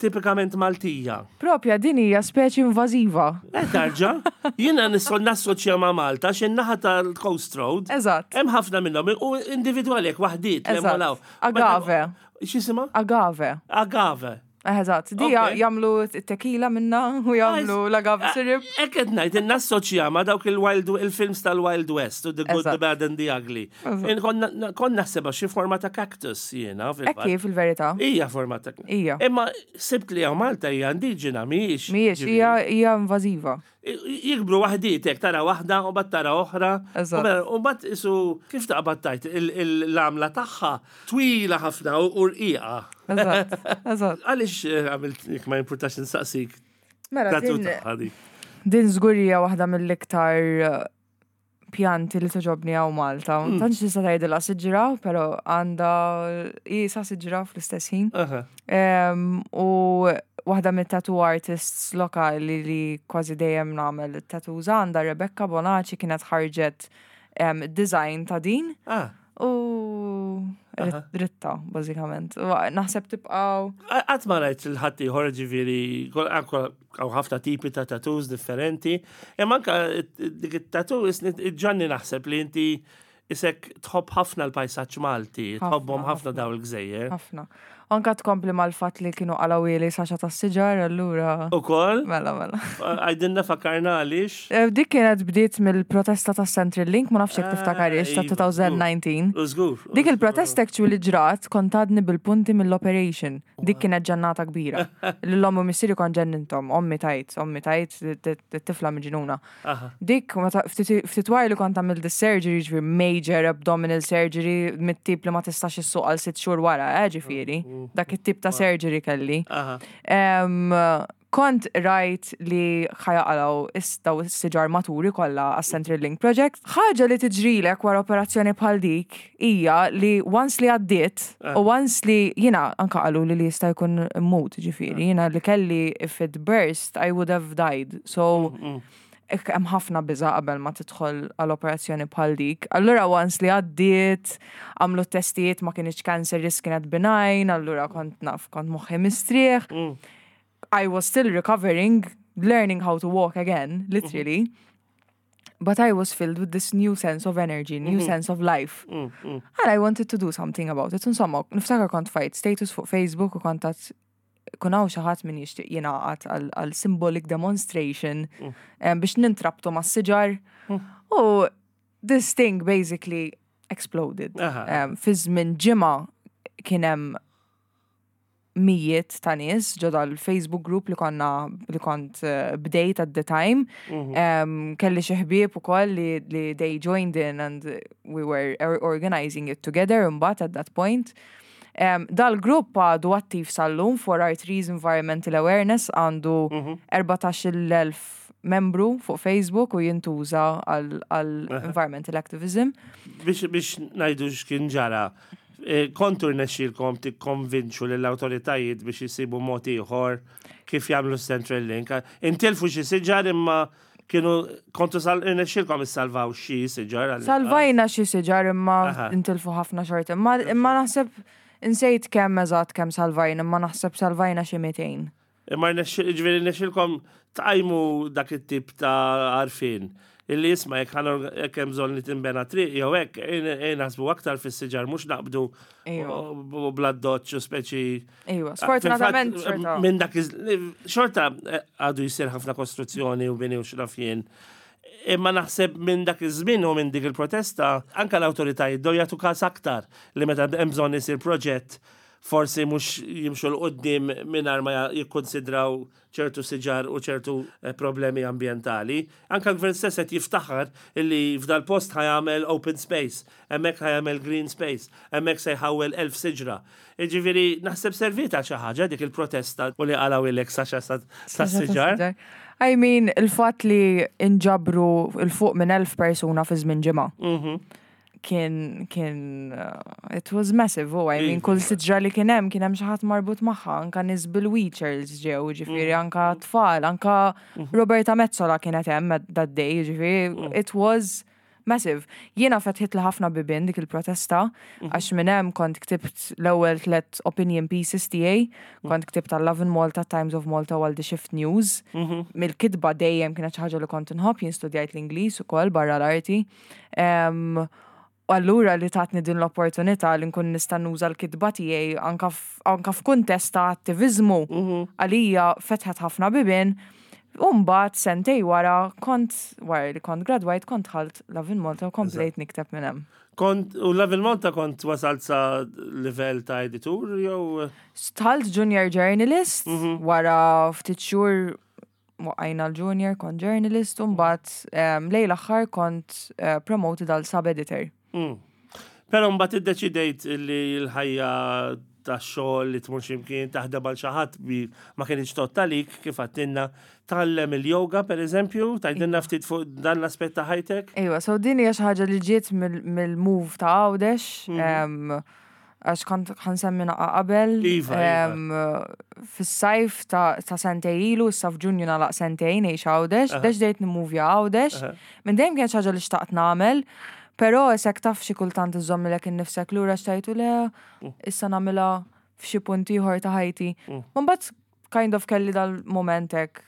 tipikament Maltija. Propja din hija speċi invażiva. Tarġa, jiena nistgħu nassoċja ma' Malta x'in-naħa tal-Coast Road. Eżatt. Hemm ħafna minnhom u individwali hekk waħdiet li hemm hawn. Agave. X'jisimha? Agave. Agave. Eżatt, di jagħmlu tequila minna u jagħmlu l-agave syrup. Hekk qed ngħid, nassoċja ma' dawk il-wild il-films tal-Wild West, u The Good, The Bad and The Ugly. Kont naħsebha xi forma ta' cactus jiena fil-fatt. Hekk fil-verità. Hija forma ta' Hija. Imma sibt li hawn Malta hija indiġena mhijiex. Mhijiex, hija invażiva. Jikbru waħdiet hekk tara waħda u mbagħad tara oħra. U mbagħad isu kif taqbad tajt l-għamla tagħha twila ħafna u rqiqa. Eżatt, eżatt. Għaliex għamilt jekk ma jimpurtax insaqsik. Mela, din żgur hija waħda mill-iktar pjanti li togħġobni hawn Malta. Tantx tista' tgħidilha siġra, però għandha qisha siġra fl-istess ħin. U waħda mit-tattoo artists lokali li kważi dejjem nagħmel tattoos għandha Rebecca Bonaci kienet ħarġet design ta' din. U ritta, bażikament. U naħseb tibqaw. Qatt ma rajt il-ħadd ieħor ġifieri, hawn ħafna tipi ta' tattoos differenti. Imma anka dik it-tattoo ġanni naħseb li inti isek tħobb ħafna l-pajsaġġ Malti, tħobbhom ħafna daw il-gżejjer. Ħafna. Anka tkompli mal-fatt li kienu qalawili Saxa tas-siġar, allura. Ukoll? Mela, mela. Għajdinna fakkarna għaliex? Dik kienet bdiet mill-protesta ta' Central Link, ma nafx jekk tiftakarix, ta' 2019. Żgur. Dik il-protesta actually ġrat kont għadni bil-punti mill-operation. Dik kienet ġannata kbira. L-ommi u missieri kont ġennintom, ommi tajt, ommi tajt, t-tifla miġnuna. Dik, ftit wara li kont għamilt surgery, ġifieri major abdominal surgery, mit-tip li ma tistax issuq għal 6 xhur wara, ġifieri. Dak it-tip ta' surgery kelli. Kont rajt li ħa jaqalgħu daw is-siġar maturi kollha għas-Central Link Project. Ħaġa li tiġrilek wara operazzjoni bħal dik hija li once li għaddiet u once li jiena anka qaluli li jista' jkun immut, ġifieri, jiena li kelli if it burst I would have died. So hemm ħafna biża' qabel ma tidħol għal operazzjoni bħal dik. Allura once li għaddiet, għamlu t-testijiet ma kinitx cancerous kienet benign, allura kont naf, kont moħħi mistrieħ. I was still recovering, learning how to walk again, literally. But I was filled with this new sense of energy, new sense of life. And I wanted to do something about it. Insomma, niftakar kont tfajt status fuq Facebook u kont għedt kun hawn xi ħadd min jixtieq jingħaqad għal symbolic demonstration biex nintrabtu mas-siġar. U this thing basically exploded. Fi żmien ġimgħa kien hemm mijiet ta' nies ġo dal-Facebook group li konna li kont bdejt at the time. Kelli xi ħbieb ukoll li they joined in and we were organizing it together imbagħad at that point. Dal-grupp għadu attiv sal-lum for Our Trees Environmental Awareness, għandu 14,000 membru fuq Facebook u jintuża għal environmental activism. Biex ngħidu x'kien ġara, kontu rnexxielkom tikkonvinċu lill-awtoritajiet biex jisibu mod ieħor kif jagħmlu Central Link. Intilfu xi siġar imma kienu kontu rnexxielkom issalvaw xi siġar. Salvajna xi siġar imma intilfu ħafna xorta. Imma naħseb insejt kemm eżatt kemm salvajna, imma naħseb salvajna xi 200. Imma ġifieri rnexxielkom tqajmu dak it-tip ta' għarfien. Illi jisma' jekk hemm bżonn li tinbena triq jew hekk, ejn naħsbu aktar fis-siġar mhux naqbdu u bla doċċ u speċi. Iva, sfortunatament xorta. Minn dak xorta għadu jsir ħafna kostruzzjoni u bini u x'naf jien. Imma naħseb minn dak iż-żmien u minn dik il-protesta anke l-awtoritajiet bdew jagħtu każ aktar li meta hemm bżonn isir proġett forsi mhux jimxu 'l quddiem mingħajr ma jikkonsidraw ċertu siġar u ċertu problemi ambjentali. Anke l-gvern stess qed jiftaħar illi f'dal post ħa jagħmel open space, hemmhekk ħa jagħmel green space, hemmhekk se jħawwel 1000 siġra. Jiġifieri naħseb serviet għal xi ħaġa dik il-protesta u li qalgħu Sasha tas-siġar. I mean, il-fatt li inġabru 'l fuq minn 1000 persuna fi żmien ġimgħa. Kien, it was massive, oh, I mean, kull siġra li kien hemm, kien hemm xi ħadd marbut magħha, anka nies bil-wheelchairs ġew, ġifieri anka tfal, anka Roberta Metsola kienet hemm that day, ġifieri, it was massive. Jiena fetħitli ħafna bibien dik il-protesta, għax minn hemm kont ktibt l-ewwel tlet opinion pieces tiegħi, kont ktibt għal Lovin Malta, Times of Malta u għal The Shift News. Mill-kitba dejjem kienet xi ħaġa li kont inħobb, jien studjajt l-Ingliż ukoll barra l-arti. U allura li tatni din l-opportunità li nkun nista' nuża l-kitba tiegħi anka f'kuntest ta' attiviżmu għalija fetħet ħafna bibien. U mbagħad sentejn wara kont wara li kont gradwajt kont dħalt Lovin Malta u komplejt nikteb minn hemm. Kont u Lovin Malta kont wasalt sa livell ta' editur jew? Dħalt junior journalist, wara ftit xhur waqajna l-junior, kont journalist, u mbagħad lejn l-aħħar kont promoted għal sub-editor. Però mbagħad iddeċidejt li l-ħajja ta' xogħol li tmur x'imkien taħdem għal xi ħadd bi ma kienx tgħodd għalik kif għedtilna tgħallem il-yoga pereżempju, tgħidilna ftit fuq dan l-aspett ta' ħajtek? Iva, so din hija xi ħaġa li ġiet mill-move ta' Għawdex, għax kont ħa nsemmi naqra qabel. Iva. Fis-sajf ta' sentejn ilu, issa f'Ġunju nagħlaq sentejn ngħix Għawdex, deċidejt nimmuvja Għawdex. Minn dejjem kienet xi ħaġa li xtaqt nagħmel, però s'hekk taf xi kultant iżommilek innifsek lura x'tgħid le, issa nagħmilha f'xi punt ieħor ta' ħajti. Ma mbagħad kind of kelli dal-moment hekk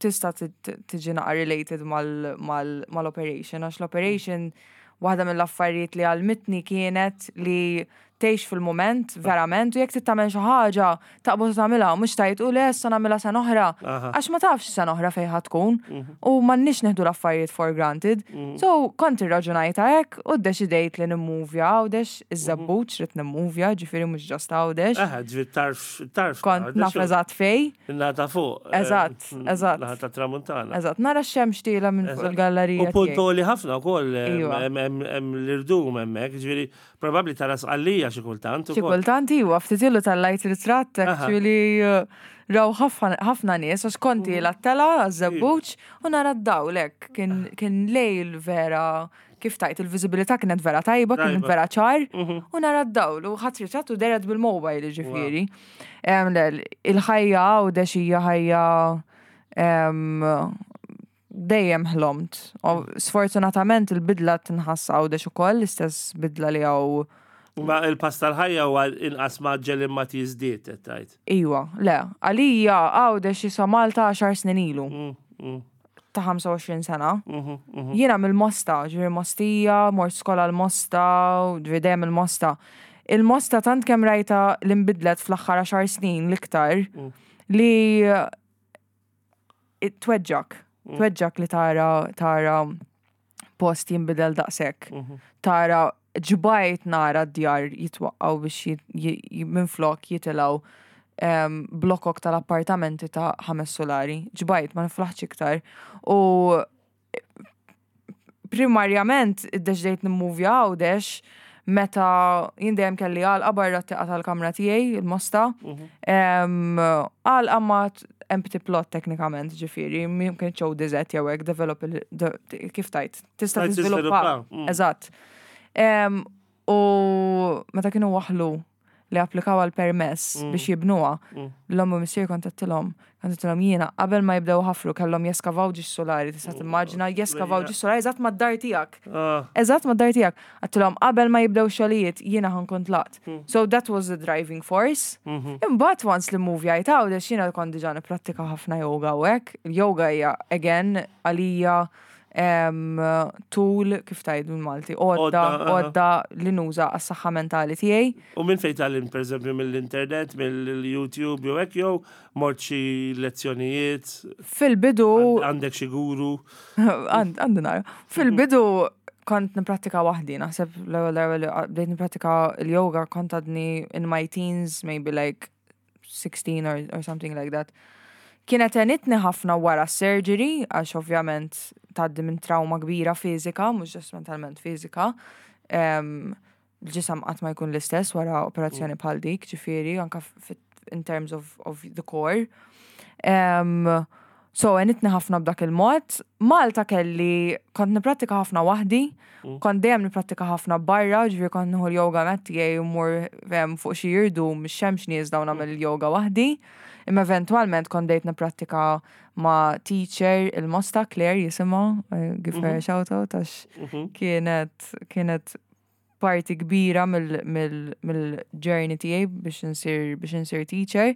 tista' tiġi naqra related mal-operation, għax l-operation waħda mill-affarijiet li għallmitni kienet li tgħix fil-moment verament u jekk trid tagħmel xi ħaġa taqbad u tagħmilha mhux tgħid u le issa nagħmilha sena oħra. Għax ma tafx sena oħra fejn ħa tkun u m'għandniex nieħdu l-affarijiet for granted. So kont irraġunajta hekk u ddeċidejt li nimmuvja Għawdex, iż-Żebbuġ rrid nimmuvja, ġifieri mhux just Għawdex. Aha, ġifieri tarf, tarf. Kont naf eżatt fejn. Nata fuq. Eżatt. Naħa ta' tramuntana. Eżatt, nara x-xemx tiela minn fuq il-gallerija. U punt li ħafna wkoll hemm l-irdum hemmhekk, ġifieri probabbli tara Sqallija. xi kultant. Xi kultant iwa, ftit ilu tal-lajt ritratt actually eh, raw ħafna nies għax konti mhm. la-tela għaż-żebbuġ u nara d-dawl hekk kien lejl vera kif tajt il-viżibilità kienet vera tajba, kienet vera ċar, mhm. u nara d-dawl u ħadd ritratt u deret bil-mobile ġifieri. Il-ħajja u hija ħajja dejjem ħlomt. Sfortunatament il-bidla tinħass Għawdex ukoll, l-istess bidla li hawn. Ma il-pass tal-ħajja huwa inqas mgħaġġel imma tiżdied qed tgħid. Iwa, le. Għalija Għawdex jiswa Malta għaxar snin ilu. Mm, mm. Ta' 25 sena. Mhm, mhm. Jiena mill-Mosta, ġifieri Mostija, mort skola l-Mosta, ġifieri dejjem il-Mosta. Il-Mosta tant kemm rajta li nbidlet fl-aħħar għaxar snin l-iktar mm. li tweġġak, mm. tweġġak li tara tara post jinbidel daqshekk. Mhm. Tara ġbajt nara d-djar jitwaqqaw biex minflok jitilgħu blokok tal-appartamenti ta' ħames solari. Ġbajt, ma niflaħx iktar. U primarjament iddeċidejt nimmuvja Għawdex meta jien dejjem kelli għalqa barra t-tieqa tal-kamra tiegħi, il-mosta. Mhm. Għalqa ma empty plot teknikament, ġifieri, minn ċow dizet jew hekk develop kif tajt. Tista' tiżviluppa. Mm. Eżatt. U meta kienu waħlu li applikaw għal permess mm. biex jibnuha, mm. l-omm u missier kontattilhom, kontattilhom jiena qabel ma jibdew ħafru kellhom jeskavaw ġiex solari, tista' mm. timmaġina jeskavaw ġiex solari eżatt mad-dar tiegħek. Ah. Eżatt mad-dar tiegħek. Għattilhom qabel ma jibdew xogħlijiet jiena ħankun tlaqt. So that was the driving force. Mm-hmm. Imbagħad once li movie għajt għawdex jiena kont diġà nipprattika ħafna yoga u hekk. Il-yoga hija again għalija tool kif tgħid bil-Malti, għodda, għodda li nuża għas-saħħa mentali tiegħi. U minn fejn tgħallimt pereżempju mill-internet, mill-YouTube jew hekk jew mort xi lezzjonijiet? Fil-bidu. Għandek xi guru? Għandi nara. Fil-bidu kont niprattika waħdi, naħseb l-ewwel darba li bdejt niprattika l-yoga kont għadni in my teens, maybe like 16 or, or something like that. Kienet għenitni ħafna wara surgery, għax ovvjament tgħaddi minn trauma kbira fiżika, mhux just mentalment fiżika. Um, l-ġisem qatt ma jkun l-istess wara operazzjoni mm. bħal dik, ġifieri, anka in terms of, of the core. Um, So għenitni ħafna b'dak il-mod. Malta kelli, kont niprattika ħafna waħdi, mm. kont dejjem niprattika ħafna barra, ġifieri kont nieħu l-yoga mat tiegħi u mmur fuq xi jirdu mix-xemx nieżla u nagħmel il-yoga waħdi. Imma eventwalment kont dejt niprattika ma' teacher il-Mosta Claire jisimha, eh, give her a mhm. shout out għax mhm. kienet kienet parti kbira mill-journey tiegħi biex insir biex insir teacher.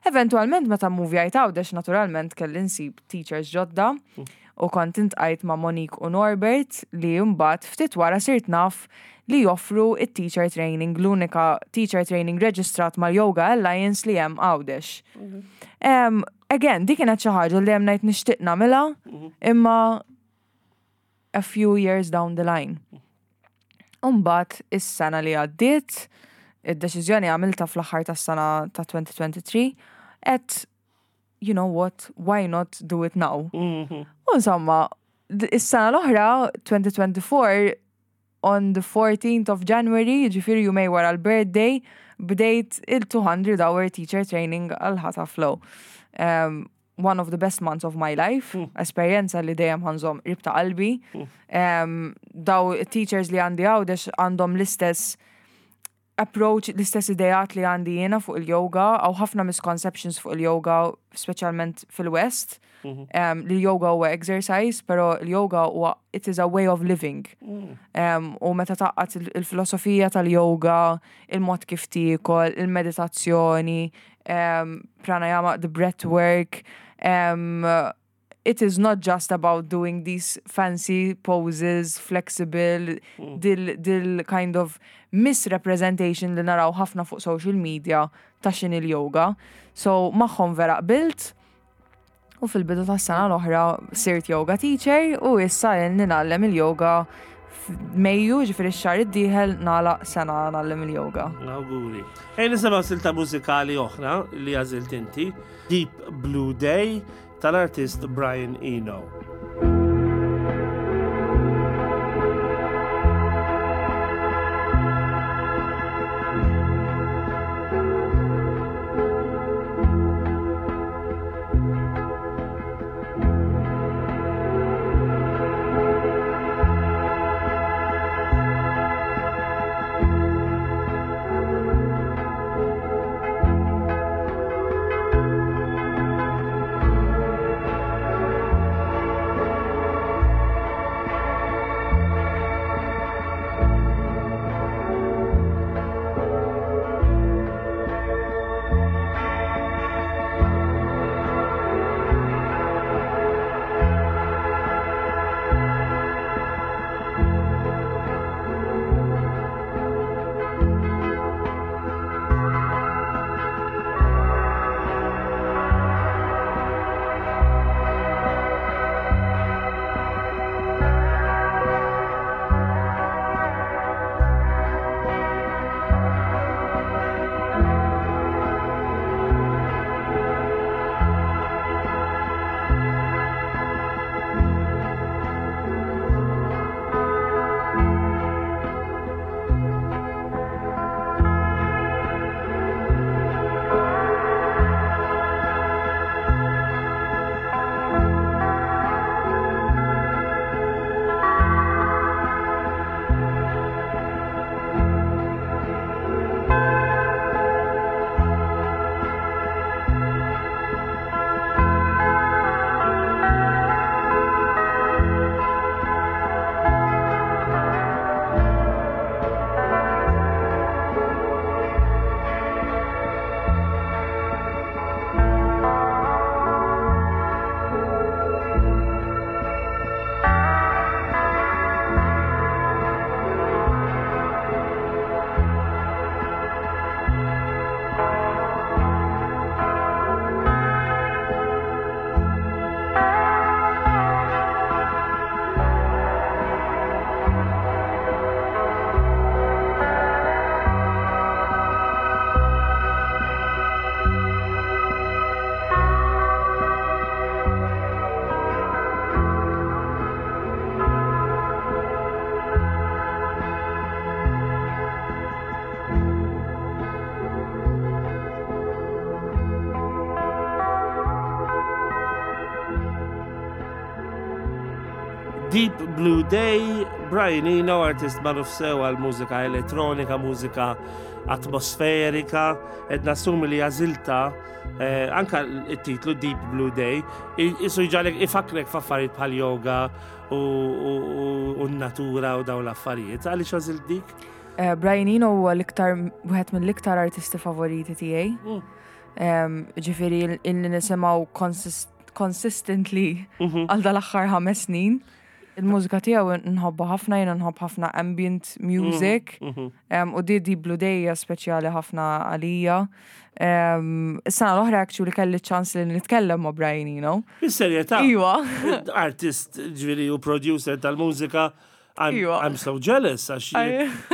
Eventualment meta movjajt Għawdex naturalment kelli nsib teachers ġodda u kont intqajt ma' Monique u Norbert li mbagħad ftit wara sirt naf li joffru it-teacher training, l-unika teacher training reġistrat mal-Yoga Alliance li hemm Għawdex. Again, dik kienet xi ħaġa li hemm ngħid nixtieq nagħmilha, imma a few years down the line. Umbat, is-sena li għaddiet, id-deċiżjoni għamilta fl-aħħar tas-sena ta' 2023, et you know what, why not do it now? Mhm. U insomma, is-sena l-oħra, 2024, on the 14th of January, ġifiri jumej wara l-birthday, bdejt il-200 hour teacher training għal Hatha Flow. Um, one of the best months of my life, mm. esperjenza li dejjem ħanżom qrib ta' qalbi. Mm. Um, daw teachers li għandi għawdex għandhom l-istess approach, l-istess idejat li għandi jiena fuq il-yoga, għaw ħafna misconceptions fuq il-yoga, speċjalment fil-West, mm -hmm. um, li yoga huwa exercise, pero il-yoga huwa it is a way of living. Mm. Um, u meta taqqat il-filosofija tal-yoga, il-mod kif tiekol, il-meditazzjoni, um, pranayama, the breath work. Um, it is not just about doing these fancy poses, flexible, mm. dil, dil kind of misrepresentation li naraw ħafna fuq social media ta' xin il-yoga. So magħhom vera qbilt U fil-bidu tas-sena l-oħra sirt yoga teacher u issa ilni ngħallem il-yoga f'Mejju, ġifieri x-xahar id-dieħel nagħlaq sena ngħallem il-yoga. Awguri. Ejja nisimgħu silta mużikali oħra li għażilt inti, Deep Blue Day tal-artist Brian Eno. Deep Blue Day, Brian Eno, artist magħruf sew għal mużika elettronika, mużika atmosferika, qed nassumi li għażilta eh, anka it-titlu Deep Blue Day, isu jġalek ifakrek f'affarijiet bħal yoga u n-natura u dawn l-affarijiet. Għaliex għażilt dik? Eh, Brian Eno huwa l-iktar wieħed mill-iktar artisti favoriti tiegħi. Ġifieri illi nisimgħu consistently għal dal-aħħar 5 snin. Il-mużika tiegħu nħobbha ħafna, jiena nħobb ħafna ambient music. U di Deep Blue Day hija speċjali ħafna għalija. Is-sena l-oħra actually kelli ċans li nitkellem ma' Brian Eno. Bis-serjetà? Iwa. Artist ġifieri u producer tal-mużika. I'm, Iwa. I'm so jealous għax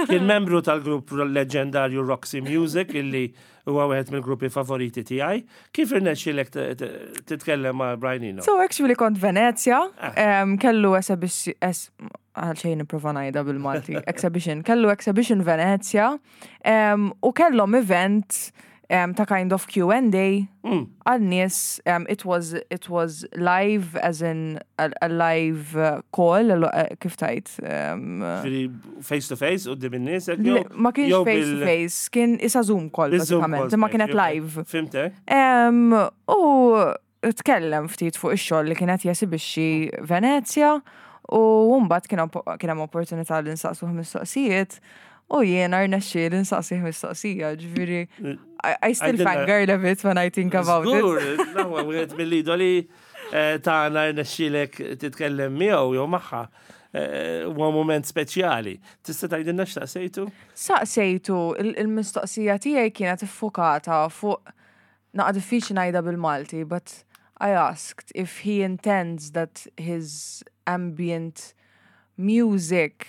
kien membru tal-grupp leġendarju Roxy Music illi huwa wieħed mill-gruppi favoriti tiegħi. Kif irnexxielek titkellem ma' Brian Eno? So actually kont Venezia, kellu exhibition, għal xejn nipprova ngħidha bil-Malti, exhibition, kellu exhibition Venezia, u kellhom event ta' kind of Q&A għal nies, it was live as in a live call, kif tajt? Ġifieri face to face quddiem in-nies hekk Le, jew ma kienx jew face to bil- face, kien isa Zoom call Bil-Zoom bażikament, call, imma kienet ok. live. Fimtek? U tkellem ftit fuq ix-xogħol li kienet jesibixxi Venezia u mbagħad kien hemm opportunità li nsaqsuh mistoqsijiet u jiena rnexxieli nsaqsih mistoqsija, ġifieri I still Għajdilna. fangirl a bit when I think about it. Żgur, l-aqwa wieħed mill-idoli tagħna rnexxielek titkellem miegħu jew magħha. Huwa mument speċjali. Tista' tgħidilna x'saqsejtu? Saqsejtu, il-mistoqsija tiegħi kienet iffukata fuq naqa' diffiċli ngħidha bil-Malti, but I asked if he intends that his ambient music,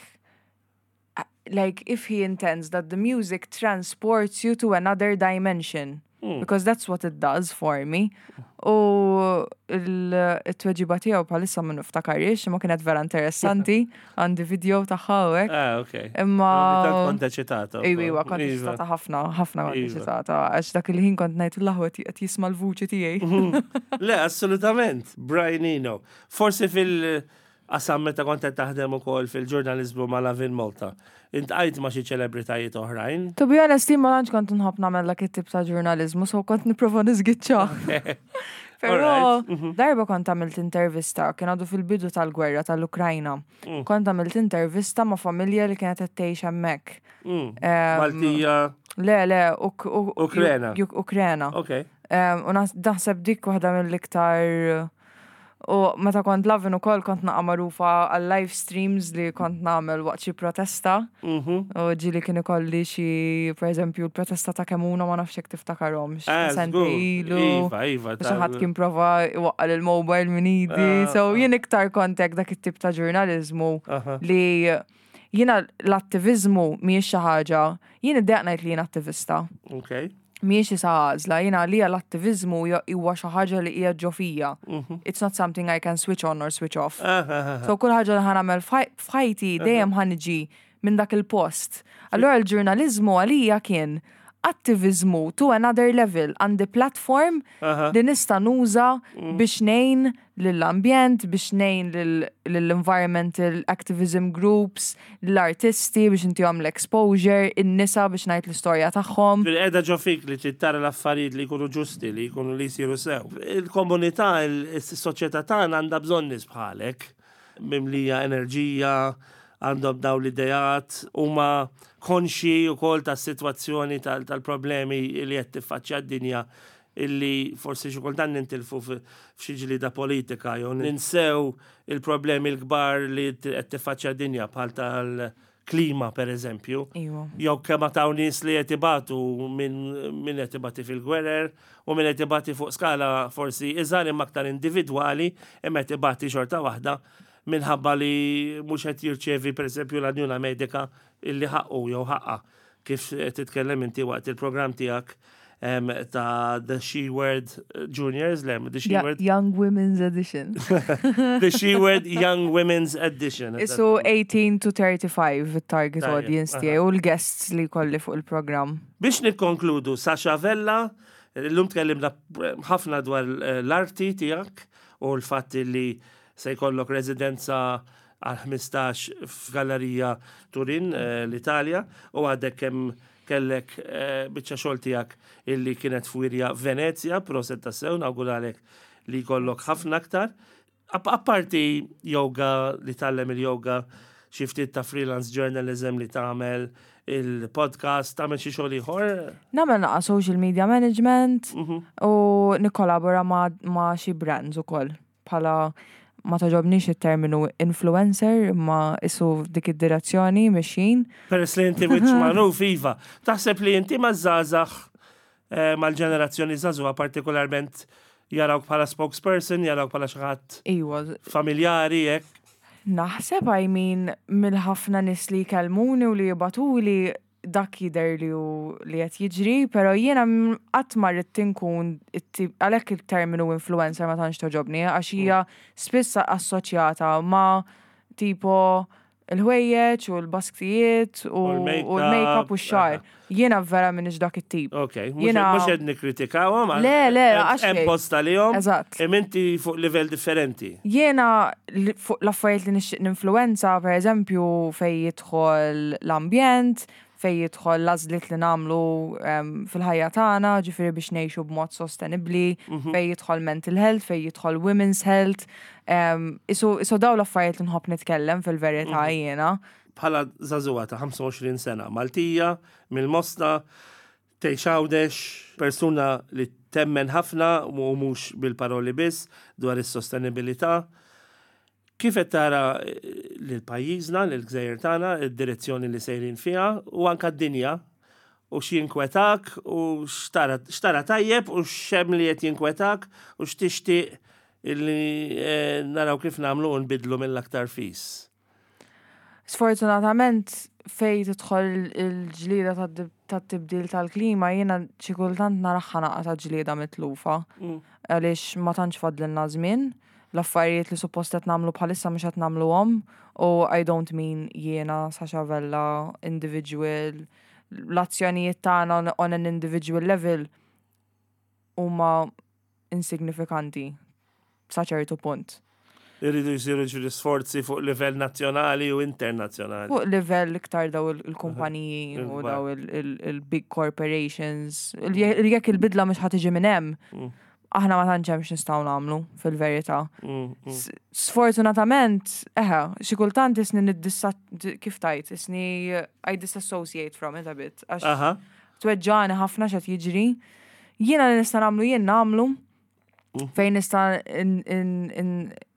like if he intends that the music transports you to another dimension. Because that's what it does for me. U il-tweġiba tiegħu bħalissa ma niftakarix, imma kienet vera interessanti, għandi video tagħha u hekk. Ah, ok. Imma Tant kont eċitata. Iwa, iwa, kont Iva. eċitata ħafna, ħafna kont Iva. eċitata, għax dak il-ħin kont ngħid l-aħwa qed jisma' l-vuċi tiegħi. Le, assolutament. Brian Eno. Forsi fil-qasam meta kont qed taħdem ukoll fil-ġurnaliżmu ma' Lovin Malta. Iltqajt ma' xi ċelebritajiet oħrajn. To be honest, jien ma tantx kont nħobb nagħmel dak it-tip ta' ġurnaliżmu, so kont nipprova niżgiċċa. Però darba kont għamilt intervista, kien għadu fil-bidu tal-gwerra tal-Ukrajna. Kont għamilt intervista ma' familja li kienet qed tgħix hemmhekk. Maltija. Le, le, Ukrena. Ukrena. Ok. U naħseb dik waħda mill-iktar. U meta kont Lovin ukoll kont naqa' magħrufa għal live streams li kont nagħmel waqt xi protesta. U ġieli kien ikolli xi, per eżempju, l-protesta ta' Kemuna, ma nafx jekk tiftakarhomx. Żgur. Ilu. Iva, iva, Xi ħadd kien prova iwaqqal il-mobile minn idi. So jien iktar kont hekk dak it-tip ta' ġurnaliżmu li jiena l-attivizmu mhijiex xi ħaġa, jien iddejjaq ngħid li jien attivista. Mhijiex isa għażla, jiena għalija l-attivizmu huwa xi ħaġa li hija ġo fija. It's not something I can switch on or switch off. So kull ħaġa li ħa nagħmel f'ħajti dejjem ħa niġi minn dak il-post. Allura l-ġurnaliżmu għalija kien attivizmu to another level, għandi platform li nista' nuża biex ngħin lill-ambjent, biex ngħin lill-environmental activism groups, l-artisti biex intihom l-exposure, in-nisa biex ngħid l-istorja tagħhom. Bil-qeda ġo fik li trid tara l-affarijiet li jkunu ġusti, li jkunu li jsiru sew. Il-komunità, il-soċjetà tagħna għandha bżonn nies bħalek, mimlija enerġija, għandhom daw l-idejat, huma konxi wkoll tas-sitwazzjoni tal-problemi li qed tiffaċċja d-dinja, illi forsi xi kultant nintilfu f'xi ġlieda politika jew ninsew il-problemi l-kbar li qed tiffaċċja d-dinja bħal tal-klima per eżempju. Jew kemm taw nies li qed ibatu minn qed ibati fil-gwerer u minn qed ibati fuq skala forsi iżgħar imma aktar individwali imma qed ibati xorta waħda minħabba li mhux qed jirċevi per eżempju l-għajnuna medika illi ħaqqu jew ħaqqa kif titkellem inti waqt il-programm tiegħek ta' The She Word Juniors, le, The She Word Young Women's Edition. The She Word Young Women's Edition. Isu 18 to 35 il-target audience tiegħi u l-guests li kolli fuq il-programm. Biex nikkonkludu, Sasha Vella, l-lum tkellimna ħafna dwar l-arti tiegħek u l-fatt li se jkollok residenza għal 15 f'gallerija Turin eh, l-Italja u għadek kemm kellek eh, biċċa xogħol tiegħek illi kienet f'wirja Venezja, proset tassew, nawguralek li jkollok ħafna aktar. Apparti yoga li tgħallem il-yoga, xi ftit ta' freelance journalism li tagħmel, il-podcast, tagħmel xi xogħol ieħor? Nagħmel naqa' social media management mhm. u nikkolabora ma' xi brands ukoll bħala ma togħġobnix it-terminu influencer imma isu dik id-direzzjoni mixjin. Peress li inti wiċċ magħruf iva, taħseb li inti maż-żgħażagħ eh, mal-ġenerazzjoni żagħżugħa partikolarment jarawk bħala spokesperson, jarawk bħala xi ħadd Iwa. familjari hekk. Naħseb I mean mill-ħafna nies li jkellmuni u li jibatuli dak jidher li hu li qed jiġri, però jiena qatt ma rrid inkun għalhekk il-terminu influencer ma tantx togħġobni għax hija spiss assoċjata ma' tipo il-ħwejjeġ u l-basktijiet u l-makeup u x-xagħar. Jiena vera m'iniex dak it-tip. Ok, mhux qed nikkritikawhom. Le, le, għax. Hemm post għalihom. Eżatt. Imma inti fuq livell differenti. Jiena fuq l-affarijiet li nixtieq ninfluwenza, pereżempju, fejn jidħol l-ambjent, fejn jidħol l-għażliet li nagħmlu fil-ħajja tagħna, ġifieri biex ngħixu b'mod sostenibbli, mhm. fejn jidħol mental health, fejn jidħol women's health. Isu isu daw l-affarijiet li nħobb nitkellem fil-verità mhm. jiena. Bħala żagħżugħa ta' 25 sena, Maltija, mill-Mosta, tgħix Għawdex, persuna li temmen ħafna u mhux bil-paroli biss dwar is-sostenibilità. Kif qed tara lil pajjiżna, lill-gżejjer tagħna, id-direzzjoni li sejrin fiha u anke d-dinja u x'jinkwetak u x'tara x'tara tajjeb u x'hemm li qed jinkwetak u x'tixtieq illi naraw kif nagħmlu u nbiddlu mill-aktar fis? Sfortunatament fejn tidħol il-ġlieda tat-tibdil tal-klima jiena xi kultant naraha naqa ta' ġlieda mitlufa. Mm. Għaliex ma tantx fadlilna żmien, l-affarijiet li suppost qed nagħmlu bħalissa mhux qed nagħmluhom u I don't mean jiena Sasha Vella individual l-azzjonijiet tagħna on an individual level huma insignifikanti sa ċertu punt. Irridu jsiru ġifieri sforzi fuq livell nazzjonali u internazzjonali. Fuq livell iktar daw il-kumpaniji u daw il-big corporations. Jekk il-bidla mhux ħa tiġi minn hemm, mm. aħna ma tantx hemm x'nistgħu nagħmlu fil-verità. Mm, mm. Sfortunatament, eħe, xi kultant isni niddissa kif tajt, isni I disassociate from it a bit. Tweġġani ħafna x'qed jiġri. Jiena li nista' nagħmlu jien nagħmlu. Mm. Fejn nista'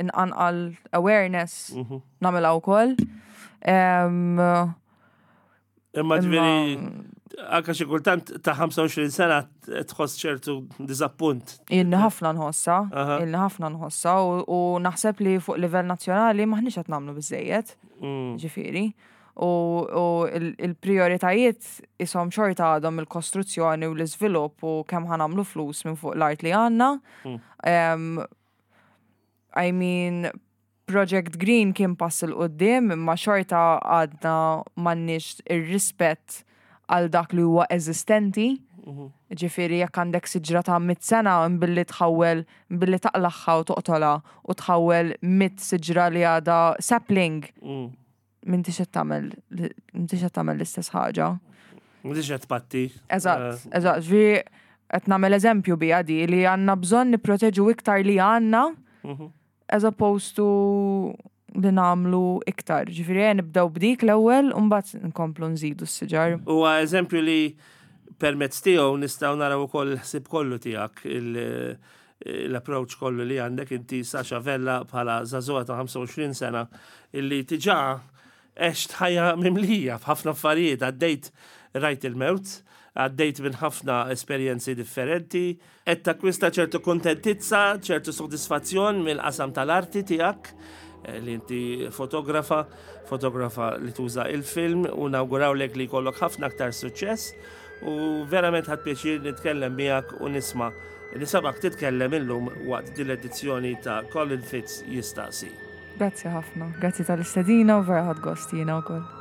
inqanqal awareness mhm. nagħmilha wkoll. Imma ġifieri anka xi kultant ta' 25 sena tħoss ċertu diżappunt. Ilni ħafna nħossa, ilni ħafna nħossa u naħseb li fuq livell nazzjonali maħniex qed nagħmlu biżejjed. Mm. Ġifieri. U il-prioritajiet ishom xorta għadhom il-kostruzzjoni u l-iżvilupp u kemm ħa nagħmlu flus minn fuq l-art li għandna. Mm. I mean, Project Green kien pass 'il quddiem imma xorta għadna m'għandniex ir-rispett għal dak li huwa eżistenti. Mhm. Ġifieri jekk għandek siġra ta' mit sena billi tħawwel billi taqlagħha u toqtolha u tħawwel mit siġra li għadha sapling. Mm. M'intix qed tagħmel m'intix qed tagħmel l-istess ħaġa. M'intix qed tpatti. Eżatt, eh. eżatt. Ġifieri qed nagħmel eżempju biha di li għandna bżonn nipproteġu iktar li għandna mhm. as opposed to li nagħmlu iktar. Ġifieri eh, nibdew b'dik l-ewwel u mbagħad nkomplu nżidu s-siġar. Huwa eżempju li permezz tiegħu nistgħu naraw ukoll il-ħsieb kollu tiegħek l-approach kollu li għandek inti Sasha Vella bħala żagħżugħa ta' 25 sena illi diġà għext ħajja mimlija f'ħafna affarijiet, għaddejt rajt il-mewt, għaddejt minn ħafna esperjenzi differenti, qed takkwista ċertu kuntentizza, ċertu sodisfazzjon mill-qasam tal-arti tiegħek eh, li inti fotografa, fotografa li tuża il-film u nawgurawlek li jkollok ħafna aktar suċċess u verament ħadt pjaċir nitkellem miegħek u nisma' nisabak titkellem illum waqt din l-edizzjoni ta' Colin Fitz jistaqsi. Grazzi ħafna, grazzi tal-istedina u vera ħadt gost jiena wkoll.